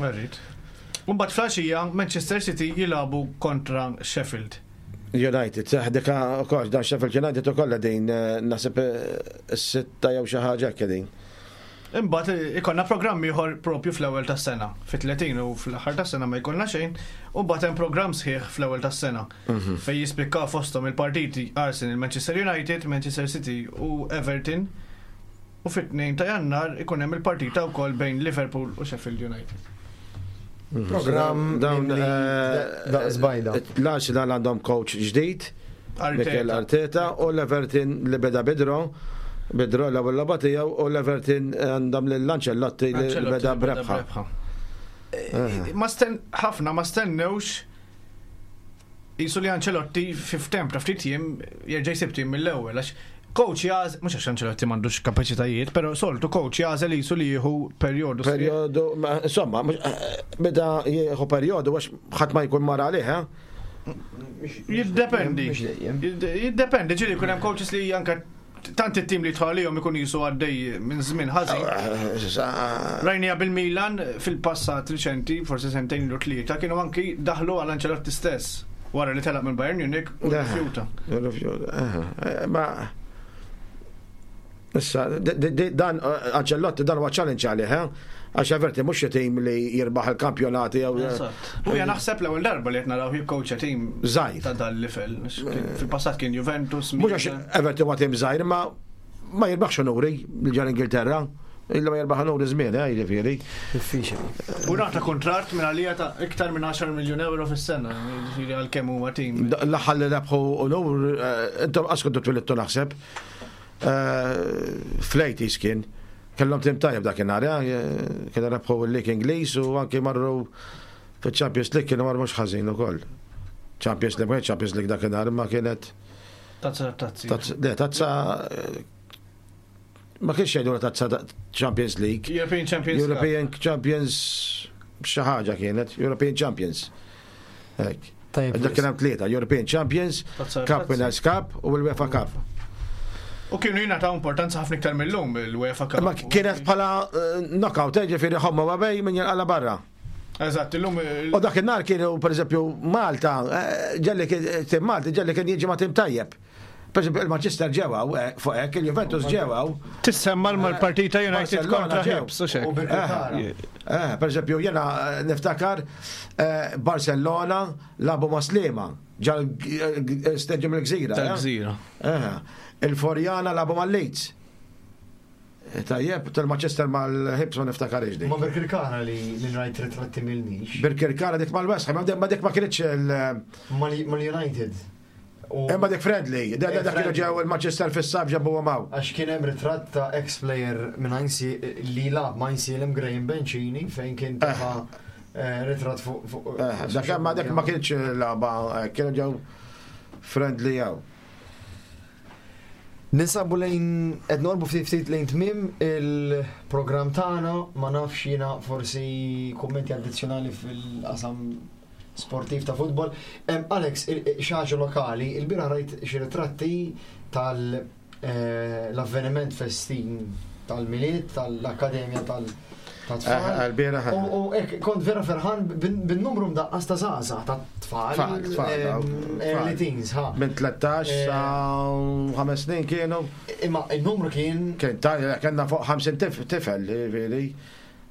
Speaker 4: Alright. Mbagħad filgħaxija Manchester City jilagħbu kontra Sheffield.
Speaker 3: United, seħ dika ukoll dan Sheffield United ukoll din eh, naħseb eh, s-sitta jew xi ħaġa hekk din.
Speaker 4: Imbagħad ikollna programm ieħor propju fl-ewwel tas-sena. Fit-tletin u fl-aħħar tas-sena ma jkollna xejn, u mbagħad hemm programm sħiħ fl-ewwel tas-sena.
Speaker 3: Mhm.
Speaker 4: Fejn jispikkaw fosthom il-partiti Arsenal, Manchester United, Manchester City u Everton. U fit-tnejn ta' Jannar ikun hemm il-partita wkoll bejn Liverpool u Sheffield United.
Speaker 2: Programm
Speaker 3: Dawn
Speaker 2: mimli
Speaker 3: eh,
Speaker 2: da- żbajda.
Speaker 3: L-Arsenal għandhom coach ġdid, Mikel Arteta, u l-Everton li beda bidro, bidro l-ewwel logħba tiegħu u l-Everton għandhom lil Ancelotti li
Speaker 4: Ancelotti
Speaker 3: beda b'rebħa.
Speaker 4: Eh, Ma sten ħafna ma stennewx jisu li Ancelotti fi ftemp ta' ftit jiem jerġa' jsib tim mill-ewwel għax coach jaż mhux għax Ancelotti m'għandux kapaċitajiet, però soltu coach jażel jisu li jieħu perjodu sħiħ.
Speaker 3: Perjodu, ma- insomma, mhux- eh, beda jieħu perjodu għax ħadd ma jkun mar għalih, eh?
Speaker 4: Jiddependi.
Speaker 2: Mhux dejjem.
Speaker 4: Jid- Jiddependi, ġieli jkun hemm coaches li anke tant it-tim li tħallihom ikun jisu għaddej minn żmien ħażin.
Speaker 3: Eh, sa-
Speaker 4: Rajnija bil-Milan fil-passat riċenti, forsi sentejn lu tlieta, kienu anki daħlu għal Ancelotti stess wara li telaq minn Bayern Munich u
Speaker 3: Le.
Speaker 4: rifjuta.
Speaker 3: Rifjuta, eh, eh, Ma Issa, di- di- di- dan eh, Ancelotti dan huwa challenge għalih, eh? Għax Everton mhux xi tim li jirbaħ il-kampjonati jew
Speaker 4: Eżatt. U jien naħseb l-ewwel darba li qed naraw jikkoċa tim
Speaker 3: Żgħir.
Speaker 4: ta' dan l-livell. Fil-passat kien Juventus,
Speaker 3: Mhux għax
Speaker 4: Milan.
Speaker 3: Everton huwa tim żgħir, ma ma jirbaħx onuri li ġar Ingilterra. Illa ma jirbaħ onuri żmien, eh, jiġifieri.
Speaker 2: Diffiċli.
Speaker 4: U nagħta kuntratt minn għalija ta' iktar minn għaxar miljun euro fis-sena, jiġifieri għalkemm huwa tim.
Speaker 3: Da- L-aħħar li rebħu onur, eh, intom qas kontu twilidtu naħseb. Eh, Fl-eighties kien. Kellhom tim tajjeb dakinhar, eh, kienu rebħu l-League Ingliż u anki marru fiċ-Champions League kienu marru mhux ħażin ukoll. Champions League, ma kienx Champions League dakinhar, imma kienet
Speaker 4: Tazza tazzi.
Speaker 3: tazza, le, tazza eh, ma kienx jgħidu tazza ta- Champions League.
Speaker 4: European Champions Cup.
Speaker 3: European Champions xi ħaġa kienet, European Champions. Hekk.
Speaker 2: Tajjeb.
Speaker 3: Dak kien hemm tlieta, European Champions,
Speaker 4: Tazza
Speaker 3: Cup
Speaker 4: tazzi.
Speaker 3: Winners' Cup u l-UEFA Cup.
Speaker 4: U kienu jingħataw importanza ħafna iktar mill-lum il-UEFA Cup.
Speaker 3: Imma kienet bħala eh, knockout, eh, ġifieri ħomma ma bej min jinqala barra.
Speaker 4: Eżatt, illum il-
Speaker 3: U dak in-nar kienu pereżempju Malta, eh, ġelli kien tim Malta, ġelli kien jiġi ma' tim tajjeb. Per eżempju, il-Manchester ġewaw, eh, fuq hekk, il-Juventus ġewaw.
Speaker 4: Tissemma l-partita United
Speaker 3: Barcellona
Speaker 4: kontra
Speaker 3: ġew.
Speaker 4: Hibs u xek.
Speaker 2: U Birkirkara.
Speaker 3: Eh, per eżempju, jena eh, niftakar eh, Barcellona labu ma' Sliema, ġal eh, stadium il-Gżira. eh?
Speaker 4: Tal-Gżira.
Speaker 3: Eh, Il-Forjana labu ma' Leeds. Eh, Tajjeb, tal-Manchester mal-Hibs ma niftakarix dik.
Speaker 2: Ma Birkirkara li li rajt ritratti mill-nix.
Speaker 3: Birkirkara dik mal-West Ham, ma dik ma kienx il-
Speaker 2: Mal-United. U
Speaker 3: Imma dik friendly, dak
Speaker 2: Eh,
Speaker 3: dak kienu
Speaker 2: friendly.
Speaker 3: ġew il-Manchester fis-sab ġabu għamaw.
Speaker 2: Għax kien hemm ritratt ta' ex-player minn Ainsi li lab ma' Għajnsielem Graham Bencini fejn kien tefa' eh, ritratt fuq fuq.
Speaker 3: Eh, Dak ma dik ma kienx laba, eh, kienu ġew friendly jew.
Speaker 2: Ninsabu lejn qed norbu ftit ftit lejn tmiem il-programm tagħna, ma nafx jiena forsi kummenti addizzjonali fil-qasam sportiv ta' futbol. Em, Alex, il- il- xi ħaġa lokali, il-bieraħ rajt xi ritratti tal eh, l-avveniment festin tal-Milied, tal-Akkademja tal- tat-tfal.
Speaker 3: Eh, Il-bieraħ.
Speaker 2: U u hekk kont vera ferħan bin- bin-numru mdaqqas ta' żgħażagħ ta' tfal,
Speaker 3: Tfal, tfal,
Speaker 2: em,
Speaker 3: dawk,
Speaker 2: early
Speaker 3: tfal.
Speaker 2: teens, ha.
Speaker 3: Minn tlettax
Speaker 2: Eh.
Speaker 3: sa ħames snin kienu.
Speaker 2: Imma il-numru kien
Speaker 3: Kien ta' kellna fuq ħamsin tif- tifel, ġifieri.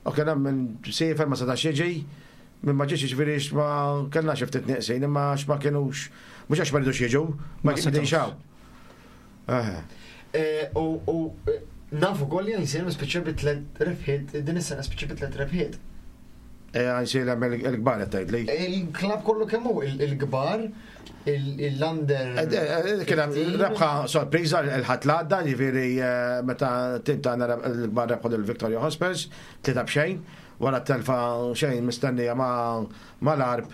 Speaker 3: U kien hemm minn siefer ma setax jiġi, minn ma ġiex jiġifieri x ma kellna xi ftit nieqsin, imma x ma kienux mhux għax ma rridux jiġu, ma
Speaker 4: Ma
Speaker 3: kienx
Speaker 4: setgħux.
Speaker 3: xaw. Eh,
Speaker 2: Eh, U u, eh, nafu koll li għajnsielem spiċċa bi tliet rebħiet, din is-sena spiċċa bi tliet rebħiet.
Speaker 3: Għajnsielem il-kbar qed tgħidli.
Speaker 2: Il-klab kollu kemm hu, il- il-kbar, il- il-under.
Speaker 3: Eh, eh, Kien hemm rebħa sorpriża il-ħadd l-għadda, ġifieri eh, meta tim tagħna reb- il-kbar rebħu lil Victoria Hospers, tlieta b'xejn, wara t-telfa xejn mistennija ma' mal-Arb.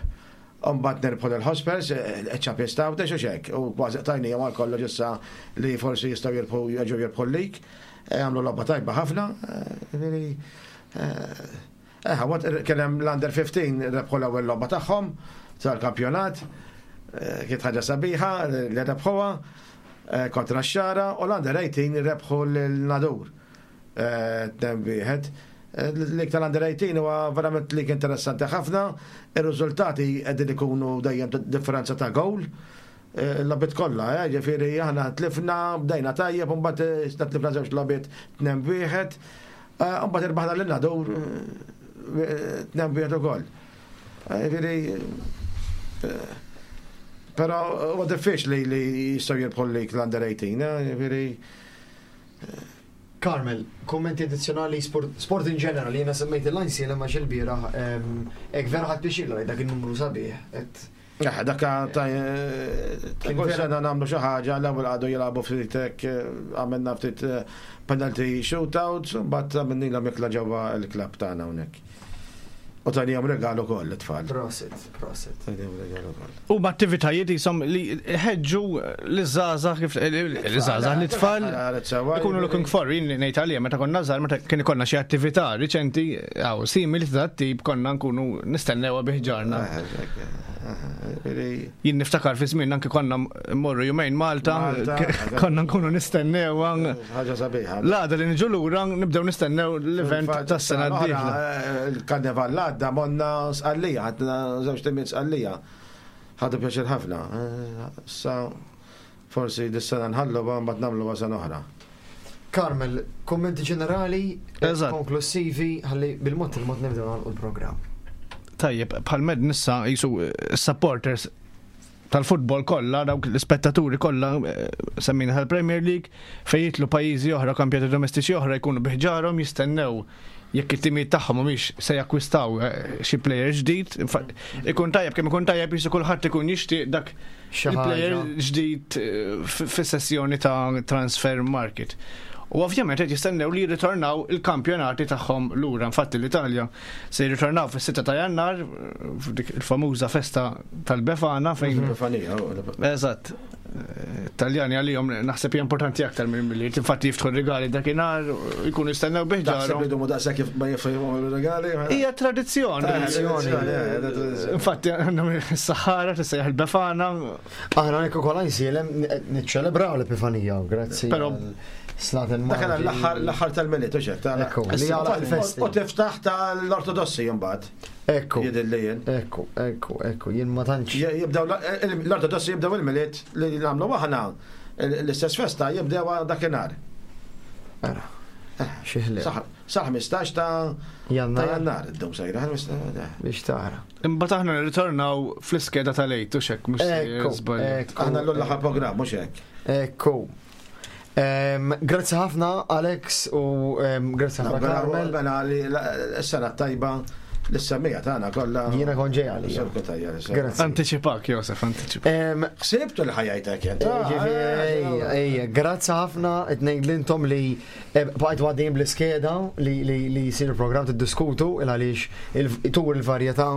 Speaker 3: Umbat nirbħu l-Hospers, il-Champions ta' u xek, u kważi tajnija mal kollox issa li forsi jistgħu jirbħu jerġgħu jirbħu l-lig. Eh, Għamlu logħba tajba ħafna, eh, ġifieri, eh, eh, għat kien hemm l-Under fifteen rebħu l-ewwel logħba tagħhom tal-kampjonat, eh, kienet ħaġa sabiħa li rebħuha eh, kontra x-Xagħra u l-Under eighteen rebħu l-Nadur. Tnejn wieħed. L-lig tal-Under eighteen huwa verament lig interessanti ħafna, ir-riżultati qegħdin ikunu dejjem differenza ta' goal. L-logħbiet kollha, eh, ġifieri aħna tlifna, bdejna tajjeb, u mbagħad eh, tlifna żewġ logħbiet tnejn wieħed. Mbagħad irbaħna lil Nadur tnejn wieħed ukoll. Jiġifieri però huwa diffiċli li jistgħu jirbħu lik l-under eighteen, jiġifieri.
Speaker 2: Carmel, kommenti addizzjonali sport, sport in general, jiena semmejt il-Għajnsielem għax il-bieraħ, hekk vera ħadt pjaċir li dak il-numru sabiħ. Et
Speaker 3: Eh, dak ta' ta' kull sena nagħmlu xi ħaġa, l-ewwel għadu jilagħbu ftit hekk, għamilna ftit penalty shootouts, u mbagħad għamilnilhom ikla ġewwa l-klabb tagħna hawnhekk. U tajniehom regalu ukoll it-tfal.
Speaker 2: Prosit, prosit.
Speaker 3: Tajniehom regalu ukoll.
Speaker 4: U b'attivitajiet jisom li ħeġġu l-żgħażagħ kif l-żgħażagħ l-tfal ikunu looking for, jien ngħid għalija meta konna żgħar, meta kien ikollna xi attività riċenti jew simili ta' tip konna nkunu nistennewha bi ħġarna. Jien niftakar fi żmien anke konna mmorru jumejn Malta,
Speaker 3: Malta,
Speaker 4: konna nkunu nistennewha.
Speaker 3: Ħaġa sabiħa.
Speaker 4: L-għada li niġu lura nibdew nistennew l-event tas-sena d-dieħla.
Speaker 3: Il-karnival l-għadda monna Sqallija, ħadna żewġ timiet Sqallija. Ħadu pjaċir ħafna. Sa forsi dis-sena nħallu mbagħad nagħmlu sena oħra.
Speaker 2: Carmel, kommenti ġenerali,
Speaker 4: Eżatt.
Speaker 2: konklusivi, ħalli bil-mod il-mod nibdew nagħlqu l-programm.
Speaker 4: Tajjeb, bħal med nissa jisu supporters tal-futbol kollha, dawk l-ispettaturi kollha, eh, semmina tal-Premier League, fejn jitlu pajjiżi oħra, kampjonati domestiċi oħra jkunu bi ħġarhom jistennew jekk it-timijiet tagħhom mhumiex se jakkwistaw eh, xi player ġdid. Infa- Ikun tajjeb kemm ikun tajjeb jisu kulħadd ikun jixtieq dak
Speaker 2: Xi
Speaker 4: il-player
Speaker 2: ħaġa.
Speaker 4: ġdid eh, f- fis-sessjoni ta' transfer market. U ovvjament qed jistennew li jirritornaw il-kampjonati tagħhom lura. Infatti l-Italja se jirritornaw fis-sitta ta' Jannar f'dik il-famuża festa tal-Befana fejn
Speaker 3: Epifanija.
Speaker 4: Eżatt. Taljani għalihom naħseb hija importanti aktar minn milli infatti jiftħu regali dakinhar jkunu jistennew
Speaker 3: Taħseb li
Speaker 4: bi ħġarhom.
Speaker 3: dumu daqshekk kif ma jifhmu regali?
Speaker 4: Hija tradizzjoni.
Speaker 2: Tradizzjoni.
Speaker 4: Infatti għandhom is-saħħara tissejjaħ il-Befana.
Speaker 2: Aħna hekk ukoll Għajnsielem niċċelebraw l-Epifanija, grazzi.
Speaker 4: Però-
Speaker 2: għal Slaten
Speaker 3: Dak kien l-aħħar l-aħħar tal-Milied u xek.
Speaker 2: Ekku, li għalaq il-festi.
Speaker 3: U tiftaħ tal-Ortodossi mbagħad.
Speaker 2: Ekku,
Speaker 3: Jidhirli jien.
Speaker 2: ekku, ekku, ekku, jien ma tantx.
Speaker 3: Jibdew l-Ortodossi jibdew il-Milied li nagħmlu aħna l-istess festa jibdew dakinhar.
Speaker 2: Ara, xi ħlief.
Speaker 3: Sa ħmistax ta' ta'
Speaker 2: Jannar
Speaker 3: Jannar id-dum sejra.
Speaker 2: biex tara.
Speaker 4: Imbagħad aħna nirritornaw fl-iskeda tal-Għid u xek mhux
Speaker 2: Ekku,
Speaker 4: żball.
Speaker 2: ekku.
Speaker 3: Aħna l-aħħar programm mhux hekk.
Speaker 2: Ekku. Em, Grazzi ħafna Alex u em, grazzi ħafna Carmel.
Speaker 3: Mela li s-sena tajba l-semmiegħa tagħna kollha.
Speaker 2: Jiena kon ġej għalija.
Speaker 3: Sur Cutajar,
Speaker 2: Grazzi.
Speaker 4: Anticipak, Josef, anticipak.
Speaker 2: Em,
Speaker 3: Ħsibtu li ħajajtek jent.
Speaker 2: Ġifieri, ejja, ejja, grazzi ħafna qed ngħid lintom li eh, bqajtu għaddejjin bl-iskeda li li li jsir il-programm tiddiskutu il għaliex il- tur il-varjetà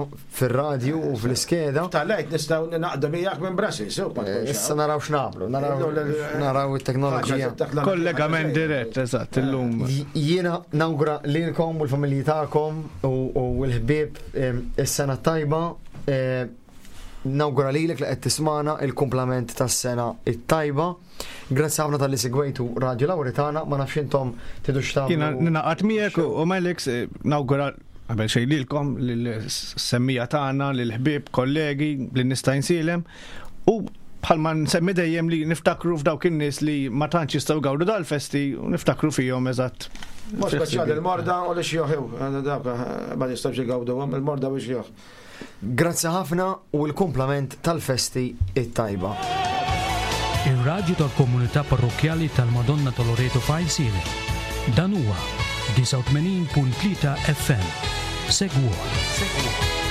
Speaker 2: fir-radju u fl-iskeda.
Speaker 3: Tal-lejt nistgħu naqdu miegħek minn Brussels, so, ma tkunx
Speaker 2: Issa
Speaker 3: hawn.
Speaker 2: naraw x'nagħmlu, naraw naraw it-teknoloġija.
Speaker 4: Kollegament dirett, eżatt, illum.
Speaker 2: Jiena nawgura lilkom u l-familji tagħkom u u l-ħbieb em, is-sena tajba. eh, Nawgura lilek li qed tismana il-kumplament tas-sena it-tajba. Grazzi ħafna talli segwejtu Radio Lauretana, ma nafx intom tidux
Speaker 4: Jiena
Speaker 2: tagħmlu.
Speaker 4: ninaqat miegħek u u Alex eh, nawgura qabel xejn lilkom lill-semmiegħa tagħna, lill-ħbieb, kollegi, lin-nies ta' Għajnsielem u bħalma nsemmi dejjem li niftakru f'dawk in-nies li ma tantx jistgħu jgawdu dal-festi u niftakru fihom eżatt.
Speaker 3: Mhux speċjali il-morda u l-xjuħ, dawk ma jistgħux jgawduhom, il-morda u x-xjuħ.
Speaker 2: Grazzi ħafna u l-kumplament tal-festi it-tajba.
Speaker 1: Ir-radju tal-komunità parrokjali tal-Madonna ta' Loreto f'Għajnsielem. Dan huwa disgħa u tmenin punt tlieta F M. Segwuh. Segwuh.